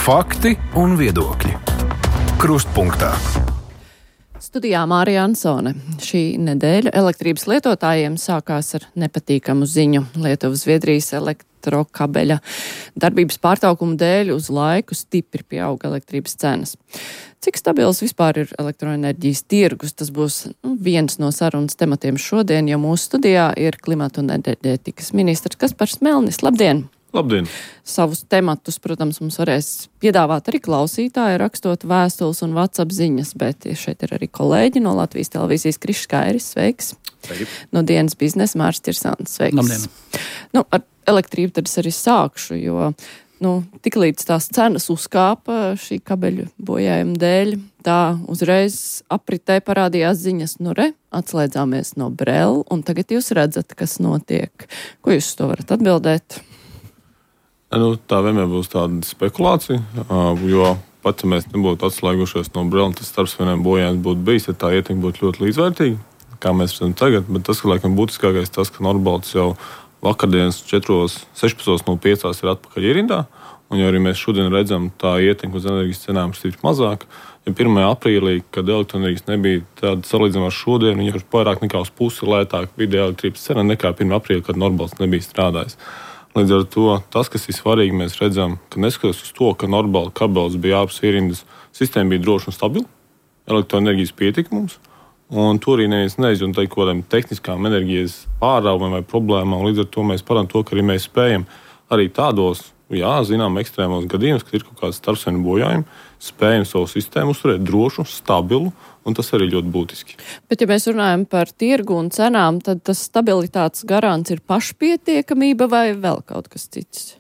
Fakti un viedokļi. Krustpunktā. Studijā Mārija Ansone. Šī nedēļa elektrības lietotājiem sākās ar nepatīkamu ziņu. Lietuvas-Zviedrijas elektrokabeļa darbības pārtraukuma dēļ uz laiku stipri pieauga elektrības cenas. Cik stabils vispār ir elektroenerģijas tirgus? Tas būs viens no sarunas tematiem šodien, jo mūsu studijā ir klimata un enerģētikas ministrs Kaspars Melnis. Labdien! Labdien! Savus tematus, protams, mums varēs piedāvāt arī klausītāji, rakstot vēstules un WhatsApp ziņas, bet šeit ir arī kolēģi no Latvijas televīzijas Krišs Kairis, sveiks! Sveiki. No dienas biznesa Mārs Tirsāns, sveiks! Labdien! Ar elektrību tad es arī sākšu, jo tiklīdz tās cenas uzkāpa šī kabeļu bojājuma dēļ, tā uzreiz apritē parādījās ziņas, atslēdzāmies no Brela, un tagad jūs redzat, kas notiek. Ko jūs to varat atbildēt? Tā vienmēr būs tāda spekulācija, jo pat, ja mēs nebūtu atslēgušies no Brela, tas starpsavienojuma bojājums būtu bijis, ja tā ietekme būtu ļoti līdzvērtīga, kā mēs redzam tagad, bet tas, ka laikam būtiskākais tas, ka Nordbalts jau vakardienas 4:16:05 ir atpakaļ ierindā, un jau arī mēs šodien redzam, tā ietekme uz enerģijas cenām ir stipri mazāka. Ja 1. aprīlī, kad elektroenerģijas nebija tāda salīdzinājumā ar šodien, viņa ir vairāk nekā uz pusi lētāka vidēja elektrības cena nekā 1. aprīlī, kad Nordbalts nebija strādājis. Līdz ar to tas, kas ir svarīgi, mēs redzam, ka neskatoties uz to, ka Nordbalta kabelis bija ārpus ierindas, sistēma bija droša un stabila, elektroenerģijas pietika mums, un tur arī neviens nezina un teikt kaut kādām tehniskām enerģijas pārāvumiem vai problēmām. Līdz ar to mēs parādām to, ka arī mēs spējam arī tādos, zinām, ekstrēmos gadījumos, kad ir kaut kāds starpsavienojuma bojājumi, spējam savu sistēmu uzturēt drošu, stabilu, un tas arī ļoti būtiski. Bet, ja mēs runājam par tirgu un cenām, tad tas stabilitātes garants ir pašpietiekamība vai vēl kaut kas cits?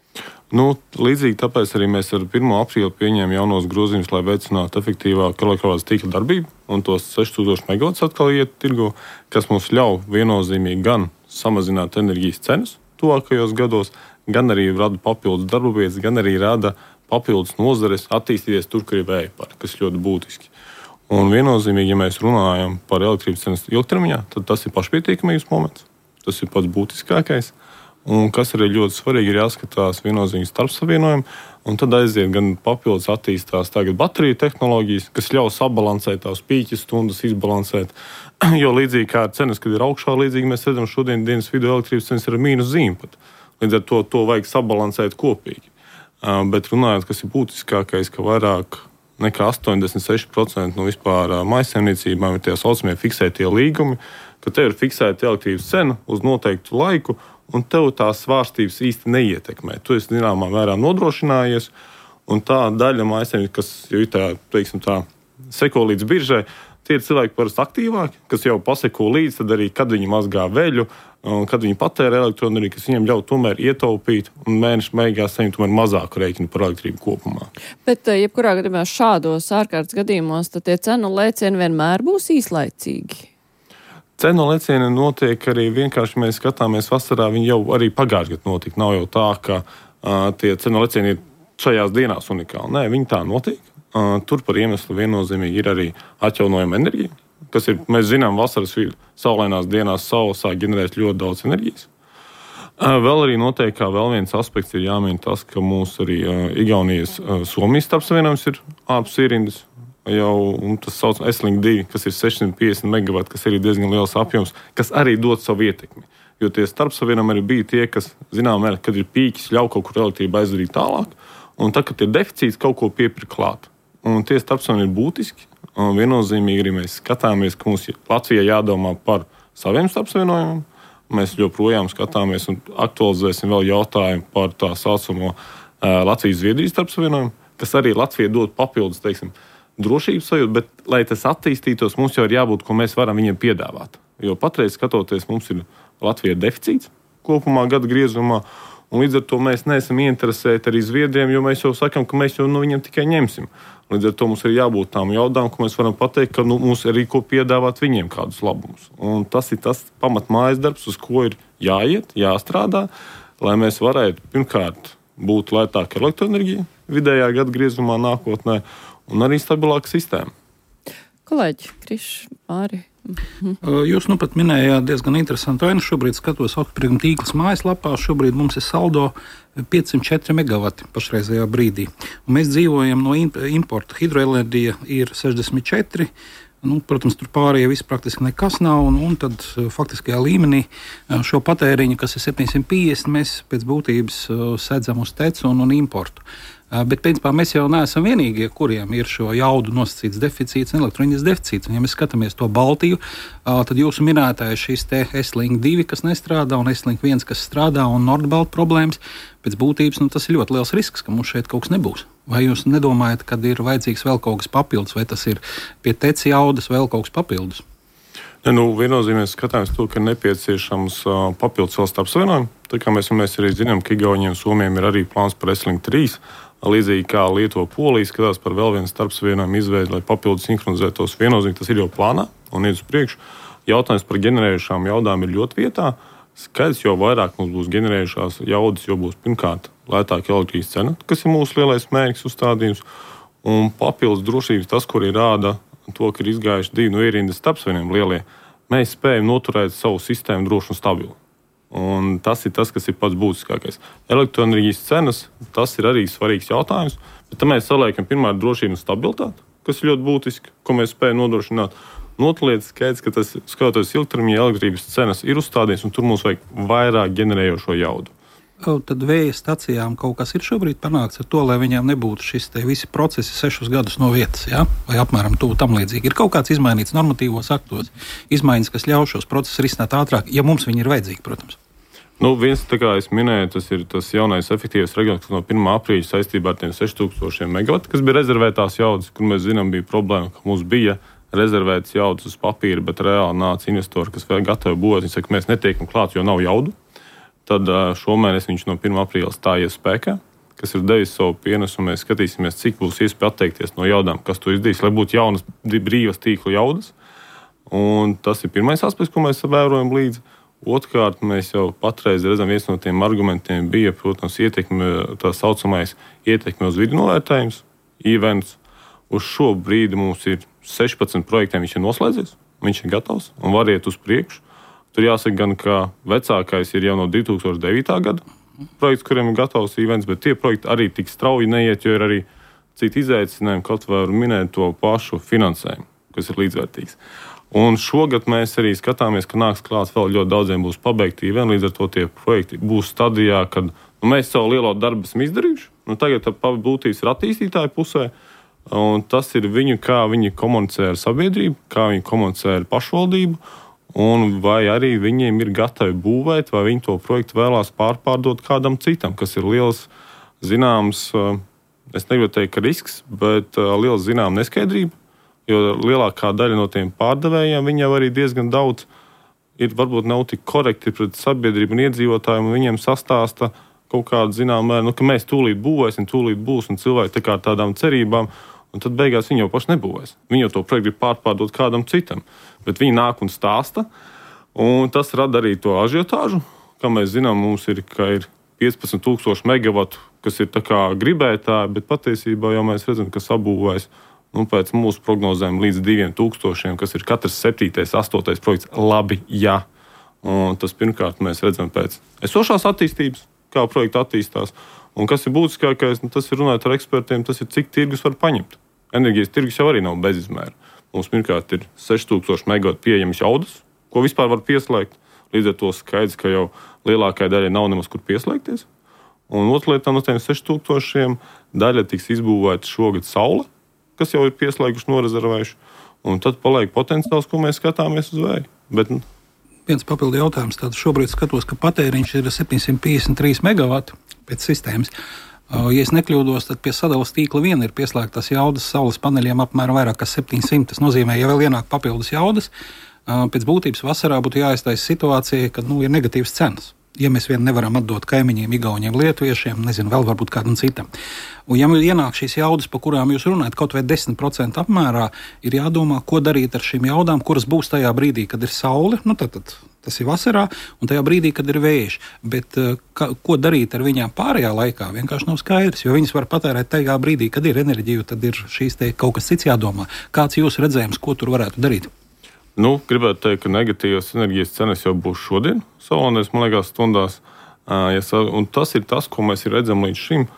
Līdzīgi tāpēc arī mēs ar 1. aprīli pieņēmām jaunos grozījumus, lai veicinātu efektīvāku elektrības tīkla darbību, un tos 6000 megavatus atkal iet tirgu, kas mums ļauj viennozīmīgi gan samazināt enerģijas cenas tuvākajos gados, gan arī rada papildus darba vietas, gan arī rada papildus nozares attīstīties tur, kur ir vēja parki, kas ļoti būtiski. Un viennozīmīgi, ja mēs runājam par elektrības cenas ilgtermiņā, tad tas ir pašpietiekamības moments. Tas ir pats būtiskākais. Un kas arī ļoti svarīgi, ir jāskatās viennozīmīgi starpsavienojumi, un tad aiziet gan papildus attīstās tagad bateriju tehnoloģijas, kas ļaus sabalansēt tās pīķes stundas, izbalansēt. Jo līdzīgi kā ar cenas, kad ir augšā, līdzīgi mēs redzam šodien dienas vidū elektrības cenas ir mīnus zīme pat. Līdz ar to vajag sabalansēt kopīgi. Bet runājot, kas ir būtiskākais, ka vairāk nekā 86% no vispār mājsaimniecībām ir tie saucamie fiksētie līgumi, ka tev ir fiksēta elektrības cena uz noteiktu laiku, un tev tās svārstības īsti neietekmē. Tu esi zināmā mērā nodrošinājies, un tā daļa mājsaimniecība, kas jau ir tā seko līdz biržai, tie ir cilvēki parasti aktīvāki, kas jau paseko līdzi, tad arī, kad viņi mazgā veļu, un kad viņi patērē elektroenerģiju, kas viņiem ļauj tomēr ietaupīt un mēneša beigās saņemt tomēr mazāku rēķinu par elektrību kopumā. Bet, jebkurā gadījumā šādos ārkārtas gadījumos, tad tie cenu lēcieni vienmēr būs īslaicīgi. Cenu lēcieni notiek arī vienkārši, mēs skatāmies vasarā, viņi jau arī pagājušajā gadā notika. Nav jau tā, ka tie cenu lēcieni ir šajās dienās unikāli. Nē, viņi tā notiek. Tur par iemeslu viennozīmīgi ir arī atjaunojama enerģija, kas ir, mēs zinām, vasaras saulainās dienās saule sāk ģenerēt ļoti daudz enerģijas. Vēl arī noteikti, kā vēl viens aspekts ir jāmin tas, ka mūsu arī Igaunijas Somijas starpsavienojums ir ārpus ierindas jau, un tas sauc Esling 2, kas ir 650 megavati, kas ir diezgan liels apjoms, kas arī dod savu ietekmi. Jo tie starpsavienojumi arī bija tie, kas, zinām, kad ir pīķis, ļauj kaut kur elektrību aizdarīt tālāk, un tad, kad ir deficīts, kaut ko piepirkt klāt. Un tie starpsavienojumi ir būtiski. Un viennozīmīgi arī mēs skatāmies, ka mums Latvijā jādomā par saviem starpsavienojumiem. Mēs joprojām skatāmies un aktualizēsim vēl jautājumu par tā saucamo Latvijas-Zviedrijas starpsavienojumu, kas arī Latvijai dod papildus, drošības sajūtu, bet, lai tas attīstītos, mums jau ir jābūt, ko mēs varam viņiem piedāvāt. Jo patreiz skatoties, mums ir Latvijā deficīts kopumā gada griezumā, un līdz ar to mēs neesam ieinteresēti arī Zviedriem, jo mēs jau sakam, ka mēs jau no viņiem tikai ņemsim. Līdz ar to mums ir jābūt tām jaudām, ko mēs varam pateikt, ka mums ir arī ko piedāvāt viņiem kādus labumus. Un tas ir tas pamatmājas darbs, uz ko ir jāiet, jāstrādā, lai mēs varētu pirmkārt būt lētāka elektroenerģija vidējā gada griezumā nākotnē un arī stabilāka sistēma. Kolēģi, Krišs, Māri, Jūs pat minējāt diezgan interesantu ainu. Šobrīd skatos Augstsprieguma tīklas mājaslapā. Šobrīd mums ir saldo 504 megawati pašreizējā brīdī. Un mēs dzīvojam no importa. Hidroenerģija ir 64. Protams, tur pārējie viss praktiski nekas nav. Un tad faktiskajā līmenī šo patēriņu, kas ir 750, mēs pēc būtības sedzam uz tecu un importu. Bet, principā, mēs jau neesam vienīgie, kuriem ir šo jaudu nosacīts deficīts un elektroenerģijas deficīts. Un, ja mēs skatāmies to Baltiju, tad jūsu minētais šīs te S-Link 2, kas nestrādā, un S-Link 1, kas strādā, un Nordbalt problēmas, pēc būtības tas ir ļoti liels risks, ka mums šeit kaut kas nebūs. Vai jūs nedomājat, ka ir vajadzīgs vēl kaut kas papildus, vai tas ir pie teci jaudas vēl kaut kas papildus? Viennozīmīgi skatāmies to, ka ir nepieciešams papildus vēl starpsavienojumi. Tā kā mēs arī zinām, ka Igauniem un Somijiem ir arī plāns par S-Link 3. Līdzīgi kā Lietuva, Polija skatās par vēl vienu starpsavienojumu izveidi, lai papildus sinhronizētos. Viennozīmīgi tas ir jau plānā un iet uz priekšu. Jautājums par ģenerējušām jaudām ir ļoti vietā. Skaidrs, jo vairāk mums būs ģenerējušās jaudas, jo būs pirmkārt lētāka elektrības cena, kas ir mūsu lielais mērķis uzstādījums. Un papildus drošības tas, kur ir rāda to, ka ir izgājuši 2 ierindas starpsavienojumi lielie, mēs spējam noturēt savu sistēmu drošu un stabilu. Un tas ir tas, kas ir pats būtiskākais. Elektroenerģijas cenas, tas ir arī svarīgs jautājums, bet tam mēs saliekam pirmā drošību un stabilitāti, kas ir ļoti būtiski, ko mēs spējam nodrošināt. Notlietas skaidrs, ka tas, skatoties ilgtermiņa elektrības cenas, ir uzstādījums, un tur mums vajag vairāk ģenerējošo jaudu. Tad vēja stacijām kaut kas ir šobrīd panākts ar to, lai viņām nebūtu šis te visi procesi 6 gadus no vietas, ja? Vai apmēram tam līdzīgi. Ir kaut kāds izmainīts normatīvos aktos, izmaiņas, kas ļauj šos procesus risināt ātrāk, ja mums viņi ir vajadzīgi, protams. Viens, tā kā es minēju, tas ir tas jaunais efektīvais reģions, kas no 1. aprīļa saistībā ar tiem 6000 megawati, kas bija rezervētās jaudas, kur mēs zinām bija problēma, ka mums bija rezervētas jaudas uz papīra, bet reāli nāca investori, kas vēl gatavi būvēt. Viņi saka, mēs netiekam klāt, jo nav jaudu. Tad šomēnes viņš no 1. aprīļa stājies spēkā, kas ir devis savu pienesumu. Mēs skatīsimies, cik būs iespēja atteikties no jaudām, kas to izdarīs, lai būtu jaunas brīvas tīklu jaudas. Un tas ir pirmais aspekts, ko mēs vērojam līdzi. Otrkārt, mēs jau patreiz redzam, viens no tiem argumentiem bija, protams, tā saucamais ietekme uz vidi novērtējums, events. Uz šo brīdi mums ir 16 projektiem, viņš ir noslēdzies, viņš ir gatavs un var iet uz priekšu. Tur jāsaka gan, ka vecākais ir jau no 2009. Gada projekts, kuriem ir gatavs events, bet tie projekti arī tik strauji neiet, jo ir arī citi izaicinājumi, kaut var minēt to pašu finansējumu, kas ir līdzvērtīgs. Un šogad mēs arī skatāmies, ka nāks klāts vēl ļoti daudziem būs pabeigti eventi, līdz ar to tie projekti būs stadijā, kad mēs savu lielo darbu esam izdarījuši. Tagad būtības ir attīstītāju pusē, un tas ir viņu, kā viņi komunicē ar sabiedrību, kā viņi komunicē ar pašvaldību, un vai arī viņiem ir gatavi būvēt, vai viņi to projektu vēlās pārdot kādam citam, kas ir liels zināms, es negribu teikt, ka risks, bet liels zinām neskaidrība. Jo lielākā daļa no tiem pārdevējiem viņi jau arī diezgan daudz ir varbūt nav tik korekti pret sabiedrību un iedzīvotājiem, un viņiem sastāsta kaut kādu zināmu mēru, ka mēs tūlīt būvēsim, tūlīt būs, un cilvēki tā kā tādām cerībām, un tad beigās viņi jau paši nebūvēs. Viņi jau to projektu grib pārdot kādam citam, bet viņi nāk un stāsta, un tas rada arī to ažiotāžu, kā mēs zinām, mums ir 15,000 megawatu, kas ir tā kā gribētāji, bet patiesībā jau mēs redzam, ka sabūvēs pēc mūsu prognozēm līdz 2,000, kas ir katrs 7., 8. projekts, labi, jā. Un tas pirmkārt mēs redzam pēc esošās attīstības, kā projekta attīstās. Un kas ir būtiskākais, tas ir runāt ar ekspertiem, tas ir cik tirgus var paņemt. Enerģijas tirgus jau arī nav bezizmēra. Mums pirmkārt ir 6,000 megawatu pieejamas jaudas, ko vispār var pieslēgt. Līdz ar to skaidrs, ka jau lielākai daļai nav nemaz kur pieslēgties. Un otra lieta no tiem 6,000 daļa tiks izbūvēta šogad saule, kas jau ir pieslēguši, norezervējuši, un tad paliek potenciāls, ko mēs skatāmies uz vēju. Bet viens papildu jautājums. Tad šobrīd skatos, ka patēriņš ir 753 megawati pēc sistēmas. Ja es nekļūdos, tad pie sadalas tīkla vien ir pieslēgtas jaudas saules paneļiem apmēram vairāk kā 700. Tas nozīmē, ja vēl ienāk papildus jaudas, pēc būtības vasarā būtu jāiztaisa situācija, kad ir negatīvas cenas. Ja mēs vien nevaram atdot kaimiņiem, Igauniem, Lietuviešiem, nezinu, vēl varbūt kādam citam. Un ja ienāk šīs jaudas, pa kurām jūs runājat, kaut vai 10% apmērā, ir jādomā, ko darīt ar šīm jaudām, kuras būs tajā brīdī, kad ir saule, tad tas ir vasarā, un tajā brīdī, kad ir vējš. Bet ko darīt ar viņām pārējā laikā, vienkārši nav skaidrs, jo viņas var patērēt tajā brīdī, kad ir enerģija, tad ir šīs te kaut kas cits jādomā. Kāds jūsu redzējums, ko tur varētu darīt? Gribētu teikt, ka negatīvas enerģijas cenas jau būs šodien, salonēs, man liekas, stundās. Un tas ir tas, ko mēs redzam līdz šim.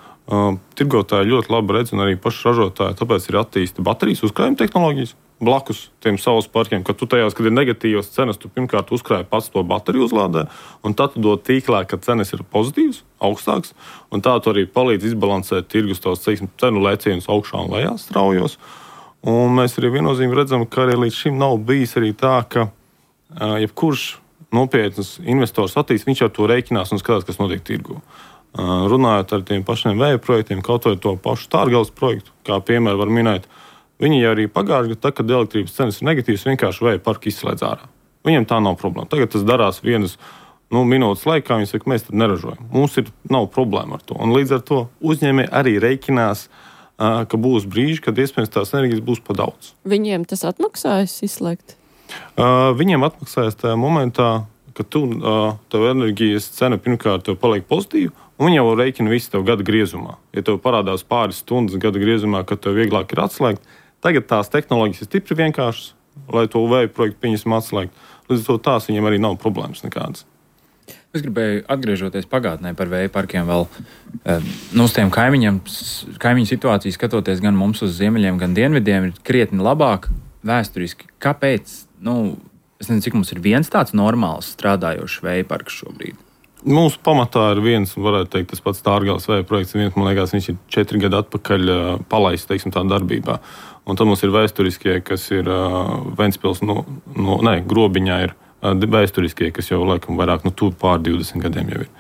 Tirgotāji ļoti labi redz, un arī paši ražotāji, tāpēc ir attīstīta baterijas uzkrājuma tehnoloģijas blakus tiem saules parkiem, ka tu tajās, kad ir negatīvas cenas, tu pirmkārt uzkrāji pats to bateriju uzlādē, un tad tu dod tīklā, ka cenas ir pozitīvas, augstāks, un tā tu arī palīdz izbalansēt tirgus tos cenu lēcienus augšā un lejā straujos. Un mēs arī viennozīmīgi redzam, ka arī līdz šim nav bijis arī tā, ka jebkurš nopietns investors attīstīs, viņš ar to rēķinās un skatās, kas notiek tirgu. Runājot ar tiem pašiem vēja projektiem, kaut vai to pašu Stārgales projektu, kā piemēru var minēt, viņi jau arī pagājuši gadu, kad elektrības cenas ir negatīvas, vienkārši vēja parku izslēdz ārā. Viņiem tā nav problēma. Tagad tas darās vienas minūtes laikā, viņi saka, mēs tad neražojam. Mums nav problēma ar to. Un līdz ar to uzņēmēji arī rēķinās, ka būs brīži, kad iespējams tās enerģijas būs pa daudz. Viņiem tas atmaksājas izslēgt? Viņiem atmaksājas tajā momentā, ka tev enerģijas cena pirmkārt tev paliek pozitīva, un viņi jau rēķina visu tev gada griezumā. Ja tev parādās pāris stundas gada griezumā, kad tev vieglāk ir atslēgt, tagad tās tehnoloģijas ir stipri vienkāršas, lai to vēju projektu pieņemsim atslēgt. Līdz ar to tās viņiem arī nav problēmas nekādas. Es gribēju atgriežoties pagātnē par vēja parkiem vēl uz tiem kaimiņu situāciju skatoties gan mums uz ziemeļiem, gan dienvidiem ir krietni labāk vēsturiski. Kāpēc? Es nezinu, cik mums ir viens tāds normāls strādājošs vēja parks šobrīd. Mūsu pamatā ir viens, varētu teikt, tas pats Stārgales vēja projekts. Man liekas, viņš ir 4 gadu atpakaļ palaists, teiksim, tā darbībā. Un tad mums ir vēsturiskie, kas ir Ventspils, Grobiņā ir vēsturiskie, kas jau laikam vairāk pār 20 gadiem jau ir.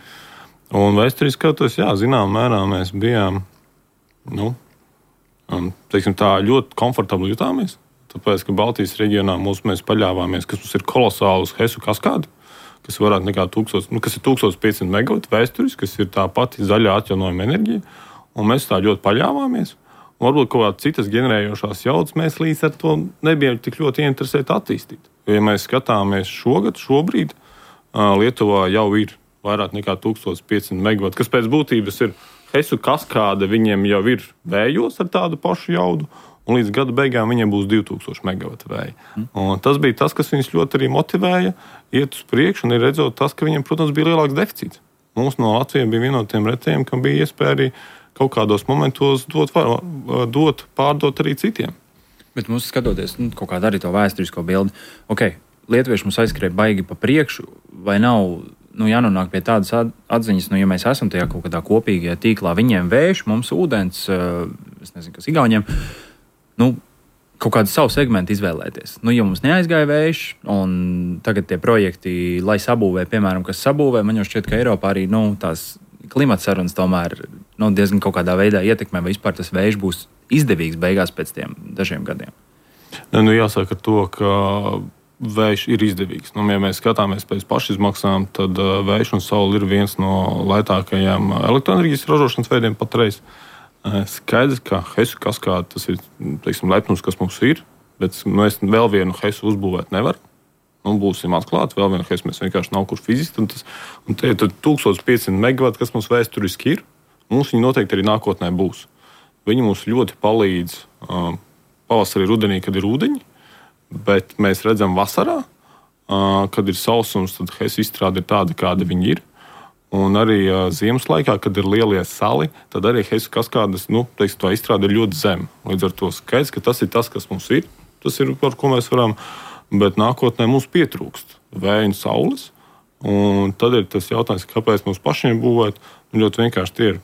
Un vēsturiski skatoties, zinām mērā mēs bijām, teiksim tā, ļoti komfortabli jutāmies, tāpēc, ka Baltijas reģionā mēs paļāvāmies, kas mums ir kolosāli uz Hesu kaskādi, kas varētu nekā 1500 megavatu vēsturiski, kas ir tā pati zaļā atjaunojuma enerģija, un mēs tā ļoti paļāvāmies. Un varbūt kaut kādas citas ģenerējošās jaudas mēs līdz ar to nebijām tik ļoti ieinteresēti attīstīt. Ja mēs skatāmies šobrīd, Lietuvā jau ir vairāk nekā 1500 megavatu, kas pēc būtības ir Hesu kaskāde, viņiem jau ir vējos ar tādu pašu jaudu, un līdz gada beigām viņiem būs 2000 megavatu vēja. Un tas bija tas, kas viņus ļoti arī motivēja iet uz priekšu, un ir redzot tas, ka viņiem, protams, bija lielāks deficīts. Mums no Latvijas bija viena no tiem retiem, kam bija iespēja arī kaut kādos momentos pārdot arī citiem. Bet mums skatoties, kaut kādā arī to vēsturisko bildi, lietuvieši mums aizskrēja baigi pa priekšu, vai nav jānonāk pie tādas atziņas, ja mēs esam tajā kaut kādā kopīgajā tīklā, viņiem vējš, mums ūdens, es nezinu, kas Igauniem, kaut kādu savu segmentu izvēlēties. Ja mums neaizgāja vējš, un tagad tie projekti, lai sabūvē, piemēram, kas sabūvē, man jau šķiet, ka Eiropā arī tās klimata sarunas tomēr diezgan kaut kādā veidā ietekmē, vai vispār tas vējš būs izdevīgs beigās pēc tiem dažiem gadiem. Jāsaka ar to, ka vējš ir izdevīgs. Ja mēs skatāmies pēc pašizmaksām, tad vējš un saule ir viens no lētākajiem elektroenerģijas ražošanas veidiem patreiz. Skaidrs, ka Hesu kaskāde tas ir, teiksim, lepnums, kas mums ir, bet mēs vēl vienu Hesu uzbūvēt nevaram. Būsim atklāti, vēl vienu Hesu mēs vienkārši nav kur fiziski. Un te ir 1500 megavati, kas mums vēsturiski ir. Mums viņi noteikti arī nākotnē būs. Viņi mums ļoti palīdz pavasarī, rudenī, kad ir ūdeņi, bet mēs redzam vasarā, kad ir sausums, tad Hesu izstrāde ir tāda, kāda viņi ir. Un arī ziemas laikā, kad ir lielie sali, tad arī Hesu kaskādes, tā izstrāde ir ļoti zema. Līdz ar to skaidrs, ka tas ir tas, kas mums ir. Tas ir, par ko mēs varam, bet nākotnē mums pietrūkst vēja un saules. Un tad ir tas jautājums, kāpēc mums pašiem būvēt. Ļoti vienkārši tie ir,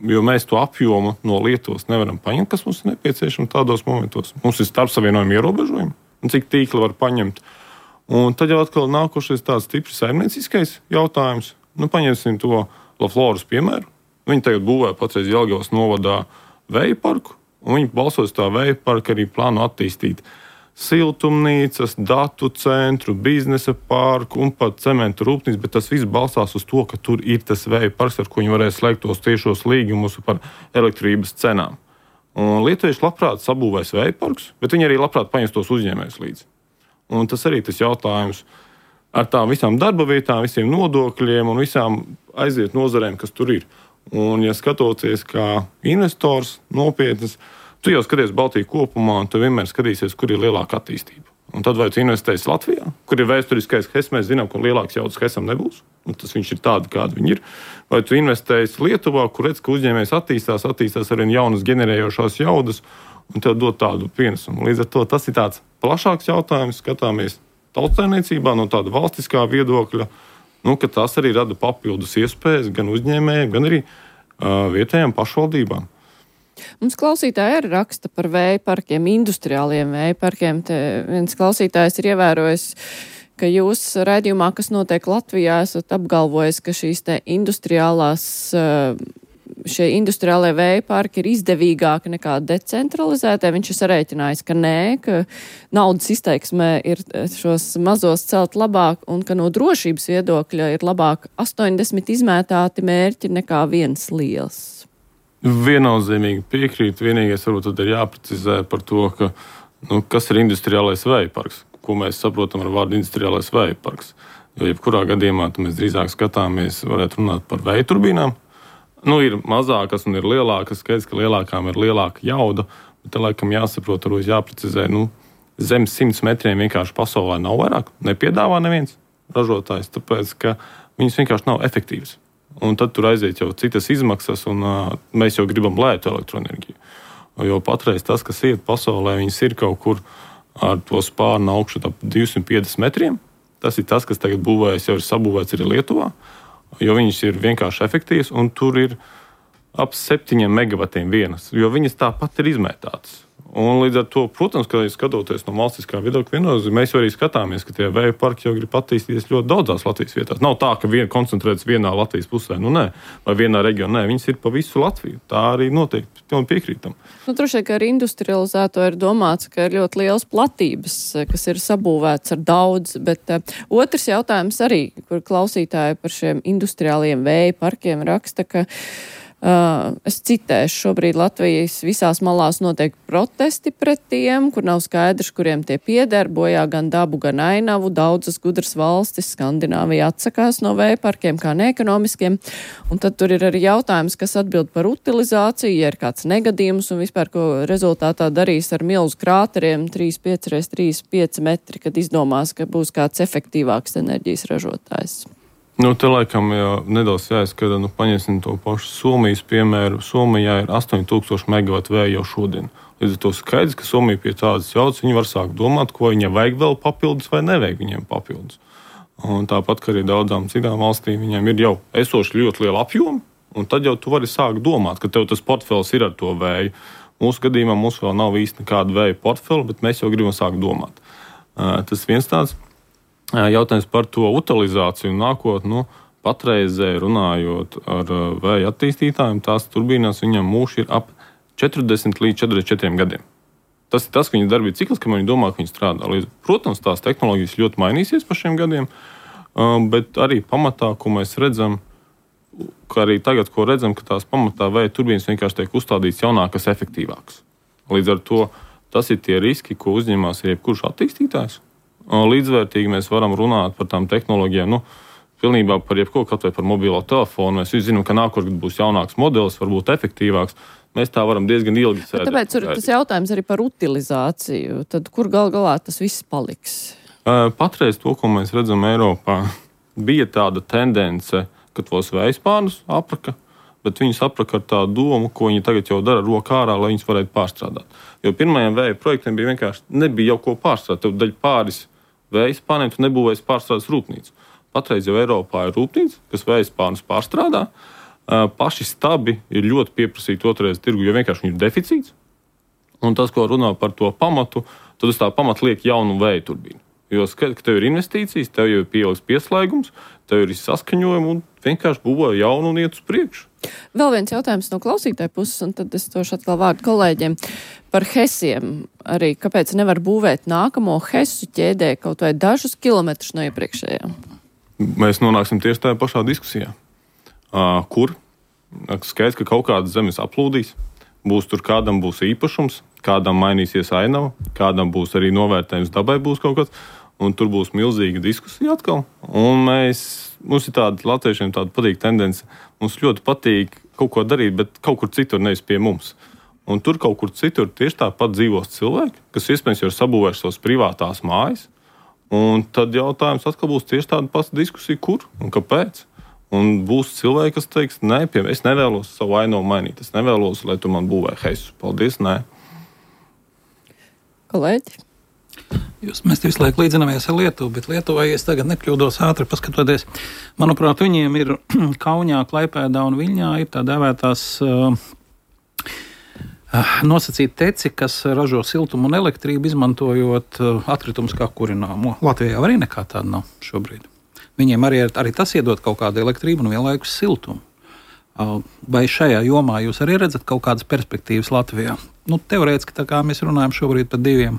jo mēs to apjomu no Lietuvas nevaram paņemt, kas mums ir nepieciešams tādos momentos. Mums ir starpsavienojumi ierobežojumi, un cik tīkli var paņemt. Un tad jau atkal nākošais tāds stiprs saimnieciskais jautājums. Paņemsim to Lafloras piemēru. Viņi tagad būvē patreiz Jelgavas novadā vēja parku, un viņi balsos tā vēja parka arī plānu attīstīt siltumnīcas, datu centru, biznesa parku un pat cementu rūpnīcu, bet tas viss balstās uz to, ka tur ir tas vēja parks, ar ko viņi varēs slēgt tos tiešos līgumus par elektrības cenām. Un lietuvieši labprāt sabūvēs vēja parkus, bet viņi arī labprāt paņems tos uzņēmējus līdzi. Un tas arī tas jautājums ar tām visām darba vietām, visiem nodokļiem un visām aiziet nozarēm, kas tur ir. Un, ja skatoties kā investors nopietnas, tu jau skaties Baltiju kopumā, un tu vienmēr skatīsies, kur ir lielāka attīstība. Un tad vai tu investēsi Latvijā, kur ir vēsturiskais HES, mēs zinām, ka lielāks jaudas HESam nebūs, un tas viņš ir tādi, kādi viņi ir. Vai tu investēsi Lietuvā, kur redz, ka uzņēmējs attīstās arvien jaunas generējošās jaudas, un tev dod tādu pienesumu. Līdz ar to tas ir tāds plašāks jautājums, skatāmies tautsaimniecībā no tāda valstiskā viedokļa, ka tas arī rada papildus iespējas gan uzņēmējiem, gan arī vietējām pašvaldībām. Mums klausītāji arī raksta par vēja parkiem, industriāliem vēja parkiem. Te viens klausītājs ir ievērojis, ka jūs raidījumā, kas notiek Latvijā, esat apgalvojis, ka šie industriālie vēja parki ir izdevīgāki nekā decentralizētie. Viņš ir sarēķinājis, ka nē, ka naudas izteiksmē ir šos mazos celt labāk un ka no drošības viedokļa ir labāk 80 izmētāti mērķi nekā viens liels. Viennozīmīgi piekrīt. Vienīgais varbūt tad ir jāprecizē par to, ka, kas ir industriālais vēja parks, ko mēs saprotam ar vārdu industriālais vēja parks. Jo jebkurā gadījumā mēs drīzāk skatāmies, varētu runāt par vēja turbīnām. Ir mazākas un ir lielākas, skaidrs, ka lielākām ir lielāka jauda, bet te laikam jāsaprot, varbūt jāprecizē, zem 100 metriem vienkārši pasaulē nav vairāk, nepiedāvā neviens ražotājs, tāpēc, ka viņas vienkārši nav efektīvas. Un tad tur aiziet jau citas izmaksas, un mēs jau gribam lētu elektroenerģiju. Jo patreiz tas, kas iet pasaulē, viņas ir kaut kur ar to spārnu augšu ap 250 metriem. Tas ir tas, kas tagad būvējas, jau ir sabūvēts arī Lietuvā, jo viņas ir vienkārši efektīvas, un tur ir ap 7 megavatiem vienas, jo viņas tāpat ir izmētātas. Un līdz ar to, protams, ka skatoties no valstiskā viedokļa, viennozīmīgi mēs jau arī skatāmies, ka tie vēja parki jau grib attīstīties ļoti daudzās Latvijas vietās. Nav tā, ka viena koncentrētas vienā Latvijas pusē, nē, vai vienā reģionā, nē, viņas ir pa visu Latviju. Tā arī notiek, pilnīgi piekrītam. Droši vien, ka ar industrializēto ir domāts, ka ir ļoti liels platības, kas ir sabūvēts ar daudz, bet otrs jautājums arī, kur klausītāji par šiem industriāliem vēja parkiem raksta, ka es citēšu, šobrīd Latvijas visās malās notiek protesti pret tiem, kur nav skaidrs, kuriem tie pieder, bojā gan dabu, gan ainavu. Daudzas gudras valstis, Skandināvija atsakās no vēja parkiem kā neekonomiskiem. Un tad tur ir arī jautājums, kas atbild par utilizāciju, ja ir kāds negadījums un vispār, ko rezultātā darīs ar milzu krāteriem 3,5x3,5 metri, kad izdomās, ka būs kāds efektīvāks enerģijas ražotājs. Te laikam nedaudz jāizskata, paņemsim to pašu Somijas piemēru. Somijā ir 8000 megavatu vēja jau šodien. Līdz ar to skaidrs, ka Somija pie tādas jaudas, viņi var sākt domāt, ko viņiem vajag vēl papildus vai nevajag viņiem papildus. Un tāpat, ka arī daudzām citām valstīm viņiem ir jau esoši ļoti liela apjoma, un tad jau tu vari sākt domāt, ka tev tas portfels ir ar to vēju. Mūsu gadījumā mums vēl nav īsti nekāda vēja portfela, bet mēs jau gribam sākt domāt. Tas viens tāds. Jautājums par to utilizāciju un nākotni. Patreizē runājot ar vēja attīstītājiem, tās turbīnās viņam mūžs ir ap 40 līdz 44 gadiem. Tas ir tas, ka viņa darbības cikls, kamēr viņi domā, ka viņi strādā. Protams, tās tehnoloģijas ļoti mainīsies pa šiem gadiem, bet arī pamatā, ko mēs redzam, ka arī tagad, ko redzam, ka tās pamatā vēja turbīnas vienkārši tiek uzstādītas jaunākas, efektīvākas. Līdz ar to tas ir tie riski, ko uzņemās jebkurš attīstītājs. Līdzvērtīgi mēs varam runāt par tām tehnoloģijām, pilnībā par jebko, kaut vai par mobilo telefonu. Mēs visi zinām, ka nākotnē būs jaunāks modelis, varbūt efektīvāks. Mēs tā varam diezgan ilgi sēdēt. Tāpēc tas jautājums arī par utilizāciju. Tad kur galā tas viss paliks? Patreiz to, ko mēs redzam Eiropā, bija tāda tendence, ka tos vējspārnus apraka, bet viņus apraka ar tādu domu, ko viņi tagad jau dara rokā ārā, lai viņus varētu pārstrādāt. Jo pirmajiem vēja projektiem bija vienkārši nebija jau ko pārstrādāt. Tev daļa pāris vējspārniem tu nebūvēsi pārstrādes rūpnīcu. Patreiz jau Eiropā ir rūpnīca, kas vējspārnus pārstrādā. Paši stabi ir ļoti pieprasīti otrreiz tirgu, jo vienkārši viņi ir deficīts. Un tas, ko runā par to pamatu, tad uz tā pamata liek jaunu vēja turbīnu. Jo skaidrs, ka tev ir investīcijas, tev jau ir pieaugs pieslēgums, tev ir saskaņojumi un vienkārši būvē jaunu un iet uz priekšu. Vēl viens jautājums no klausītāja puses, un tad es došu atkal vārdu kolēģiem par HESiem. Arī kāpēc nevar būvēt nākamo HESu ķēdē kaut vai dažus kilometrus no iepriekšējām? Mēs nonāksim tieši tajā pašā diskusijā. Kur? Skaidrs, ka kaut kādas zemes aplūdīs. Kādam būs īpašums, kādam mainīsies ainava, kādam būs arī novērtējums dabai būs kaut kas, un tur būs milzīga diskusija atkal. Un mums ir tāda latviešiem tāda patīk tendence. Mums ļoti patīk kaut ko darīt, bet kaut kur citur, nevis pie mums. un tur kaut kur citur tieši tāpat dzīvos cilvēki, kas iespējams jau ir sabūvējuši savas privātās mājas. Un tad jautājums atkal būs tieši tāda pati diskusija, kur un kāpēc. Un būs cilvēki, kas teiks, nē, es nevēlos savu ainavu mainīt. Es nevēlos, lai tu man būvē heisus. Paldies, nē. Kolēģi? Mēs visu laiku līdzināmies ar Lietuvu, bet Lietuvā, ja es tagad nekļūdos ātri paskatoties, manuprāt, viņiem ir Kaunijā, Klaipēdā un Viļņā ir tā dēvētās nosacīti teci, kas ražo siltumu un elektrību, izmantojot atkritumus kā kurināmo. Latvijā arī nekā tāda nav šobrīd. Viņiem arī tas iedod kaut kādu elektrību un vienlaikus siltumu. Vai šajā jomā jūs arī redzat kaut kādas perspektīvas Latvijā? Teorētiski, tā kā mēs runājam šobrīd par 2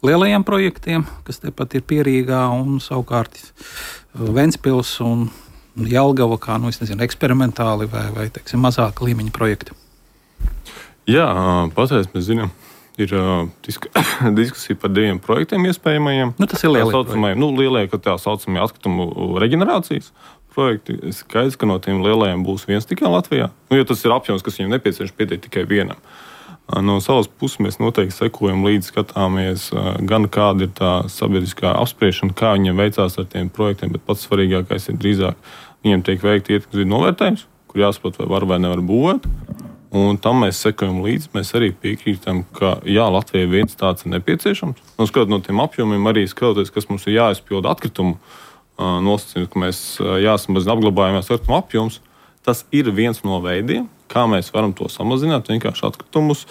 lielajiem projektiem, kas tepat ir Pierīgā un savukārt Ventspils un Jelgava, kā, eksperimentāli vai teiksim, mazāka līmeņa projekti. Jā, patreiz mēs zinām, ir diskusija par 2 projektiem iespējamajiem. Tas ir lielie. Lielie, ka tā saucamie atkritumu reģenerācijas projekti. Skaidrs, ka no tiem lielajiem būs viens tikai Latvijā. Jo tas ir apjoms, kas viņiem nepieciešams pietiek tikai vienam. No savas puses mēs noteikti sekojam līdzi, skatāmies gan kāda ir tā sabiedriskā apspriešana, kā viņiem veicās ar tiem projektiem, bet pats svarīgākais ir drīzāk viņiem tiek veikti ietekmes vidu novērtējums, kur jāsaprot, vai var vai nevar būvēt. Un tam mēs sekojam līdzi. Mēs arī piekrītam, ka jā, Latvijai viens tāds ir nepieciešams. Skatot no tiem apjomiem, arī skatoties, kas mums ir jāizpilda atkritumu nosacījums, ka mēs jāsamazina apglabājumās atkritumu apjoms. Tas ir viens no veidiem, kā mēs varam to samazināt. Vienkārši atkritumus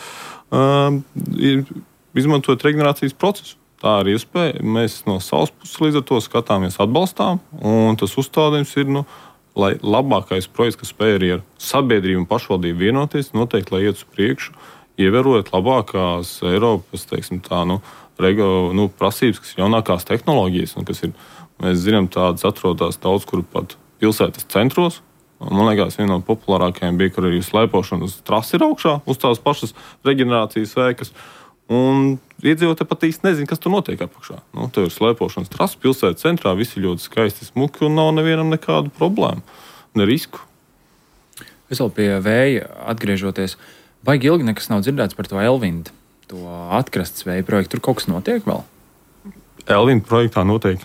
izmantojot reģenerācijas procesu. Tā ir iespēja. Mēs no savas puses līdz ar to skatāmies, atbalstām. Un tas uzstādījums ir, lai labākais projekts, kas spēj arī ar sabiedrību un pašvaldību vienoties, noteikti, lai iet uz priekšu, ievērojot labākās Eiropas, teiksim tā, prasības, kas ir jaunākās tehnoloģijas, un kas ir, mēs zinām, tādas atrodas daudz, kur pat pilsētas centros. Man liekas, viena no populārākajām bija, kur arī slēpošanas trasi ir augšā uz tās pašas reģenerācijas veikas. Un iedzīvotāji pat īsti nezina, kas tur notiek apakšā. Tur ir slēpošanas trasi pilsētas centrā, visi ļoti skaisti smuki un nav nevienam nekādu problēmu, ne risku. Es vēl pie vēja atgriežoties, baigi ilgi nekas nav dzirdēts par to Elvindu, to atkrastes vēja projektu. Tur kaut kas notiek vēl? Elvinda projektā notiek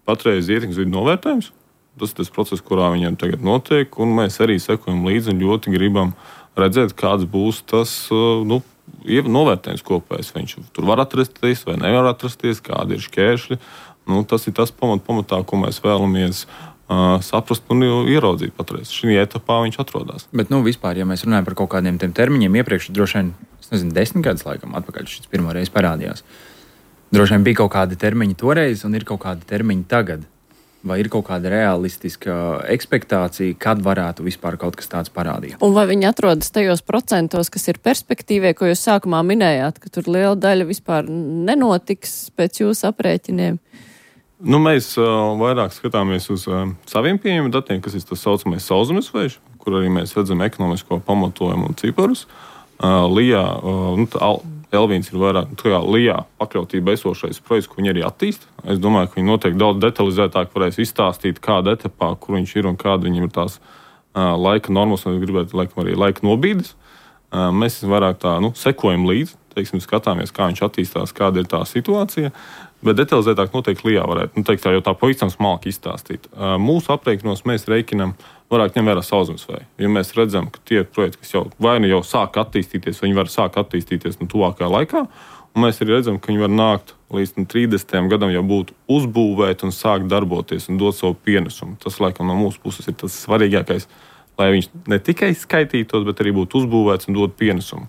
patreiz ietekmes vidu novērtējums. Tas ir tas process, kurā viņiem tagad notiek, un mēs arī sekojam līdzi un ļoti gribam redzēt, kāds būs tas novērtējums kopējs. Viņš tur var atrasties vai nevar atrasties, kādi ir šķēršļi. Tas ir tas pamatā, ko mēs vēlamies saprast un ieraudzīt patreiz. Šī etapā viņš atrodas. Bet vispār, ja mēs runājam par kaut kādiem tiem termiņiem, iepriekš droši vien, 10 gadus laikam atpakaļ šis pirmo reizi parādījās. Droši vien bija kaut kādi termiņi toreiz un ir kaut kādi termiņi tagad. Vai ir kaut kāda realistiska ekspektācija, kad varētu vispār kaut kas tāds parādīt? Un vai viņi atrodas tajos procentos, kas ir perspektīvie, ko jūs sākumā minējāt, ka tur liela daļa vispār nenotiks pēc jūsu aprēķiniem? Mēs vairāk skatāmies uz saviem pieejamiem datiem, kas ir tas saucamais sauszemes vējš, kur arī mēs redzam ekonomisko pamatojumu un ciparus. Elvīns ir vairāk Lijā pakļautībā esošais projekts, ko viņi arī attīsta. Es domāju, ka viņi noteikti daudz detalizētāk varēs izstāstīt, kāda etapā, kur viņš ir un kāda viņam ir tās laika normas, un gribētu laikam arī laika nobīdes. Mēs vairāk tā sekojam līdzi, skatāmies, kā viņš attīstās, kāda ir tā situācija. Bet detalizētāk noteikti Lijā varētu, tā jau tā pavisam smalki izstāstīt. Mūsu aprēķinos mēs reikinam vairāk ņem vērā sauszemes vēju. Ja mēs redzam, ka tie projekti, kas jau sāk attīstīties, viņi var sākt attīstīties tuvākajā laikā, un mēs arī redzam, ka viņi var nākt līdz 30. gadam jau būt uzbūvēti un sākt darboties un dot savu pienesumu. Tas, laikam, no mūsu puses ir tas svarīgākais, lai viņš ne tikai skaitītos, bet arī būtu uzbūvēts un dot pienesumu.